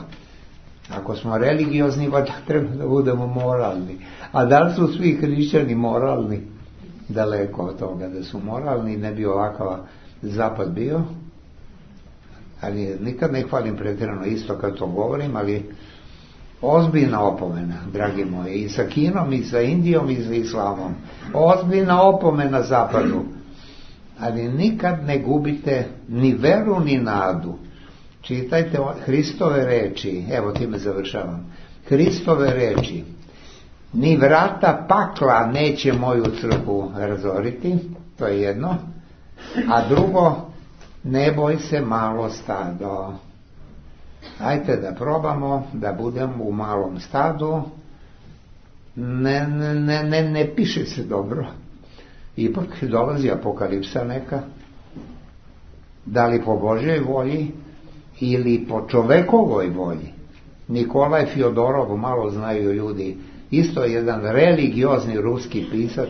Ako smo religiozni, valjda treba da budemo moralni. A da li su svi hrišćani moralni? Daleko od toga da su moralni, ne bi ovakav zapad bio. Ali nikad ne hvalim pretjerano isto kad to govorim, ali ozbiljna opomena, dragi moji, i sa Kinom, i sa Indijom, i sa Islamom. Ozbiljna opomena zapadu. Ali nikad ne gubite ni veru, ni nadu. Čitajte Hristove reči, evo time završavam. Hristove reči: ni vrata pakla neće moju crkvu razoriti, to je jedno. A drugo, ne boj se malo stado. Ajte da probamo da budemo u malom stadu. Ne piše se dobro. Ipak dolazi apokalipsa neka. Da li po Božjoj volji ili po čovekovoj volji. Nikolaj Fjodorov, malo znaju ljudi, isto jedan religiozni ruski pisac,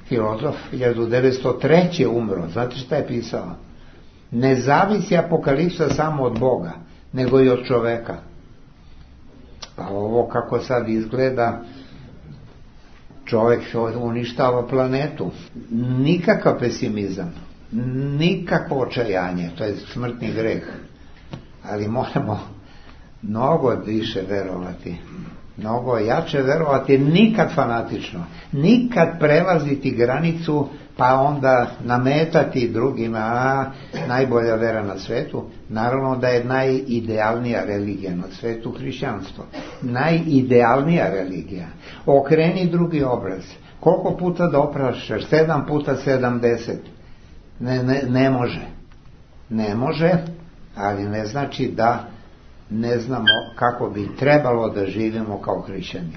filozof, 1903. umro. Znate šta je pisao? Ne zavisi apokalipsa samo od Boga, nego i od čoveka. Pa ovo kako sad izgleda, čovjek uništava planetu. Nikakav pesimizam, nikakvo očajanje, to je smrtni greh. Ali moramo mnogo više verovati, mnogo jače verovati, nikad fanatično, nikad prelaziti granicu pa onda nametati drugima najbolja vera na svetu. Naravno da je najidealnija religija na svetu hrišćanstvo, najidealnija religija. Okreni drugi obraz. Koliko puta da opraštaš? 7 puta 70. Ne može, ali ne znači da ne znamo kako bi trebalo da živimo kao hrišćani.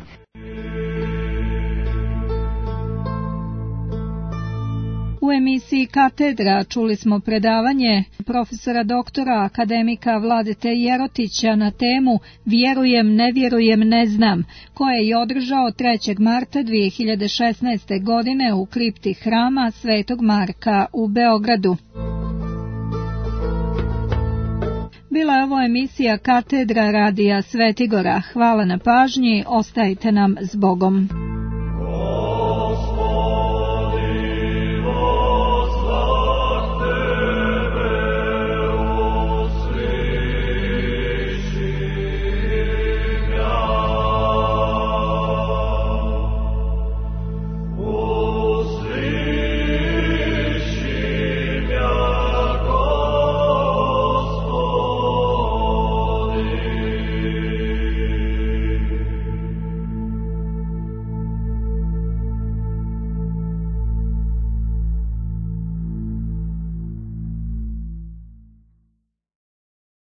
U emisiji Katedra čuli smo predavanje profesora doktora akademika Vladete Jerotića na temu Vjerujem, ne vjerujem, ne znam, koje je održao 3. marta 2016. godine u kripti hrama Svetog Marka u Beogradu. Bila je ovo emisija Katedra radija Svetigora. Hvala na pažnji, ostajte nam s Bogom.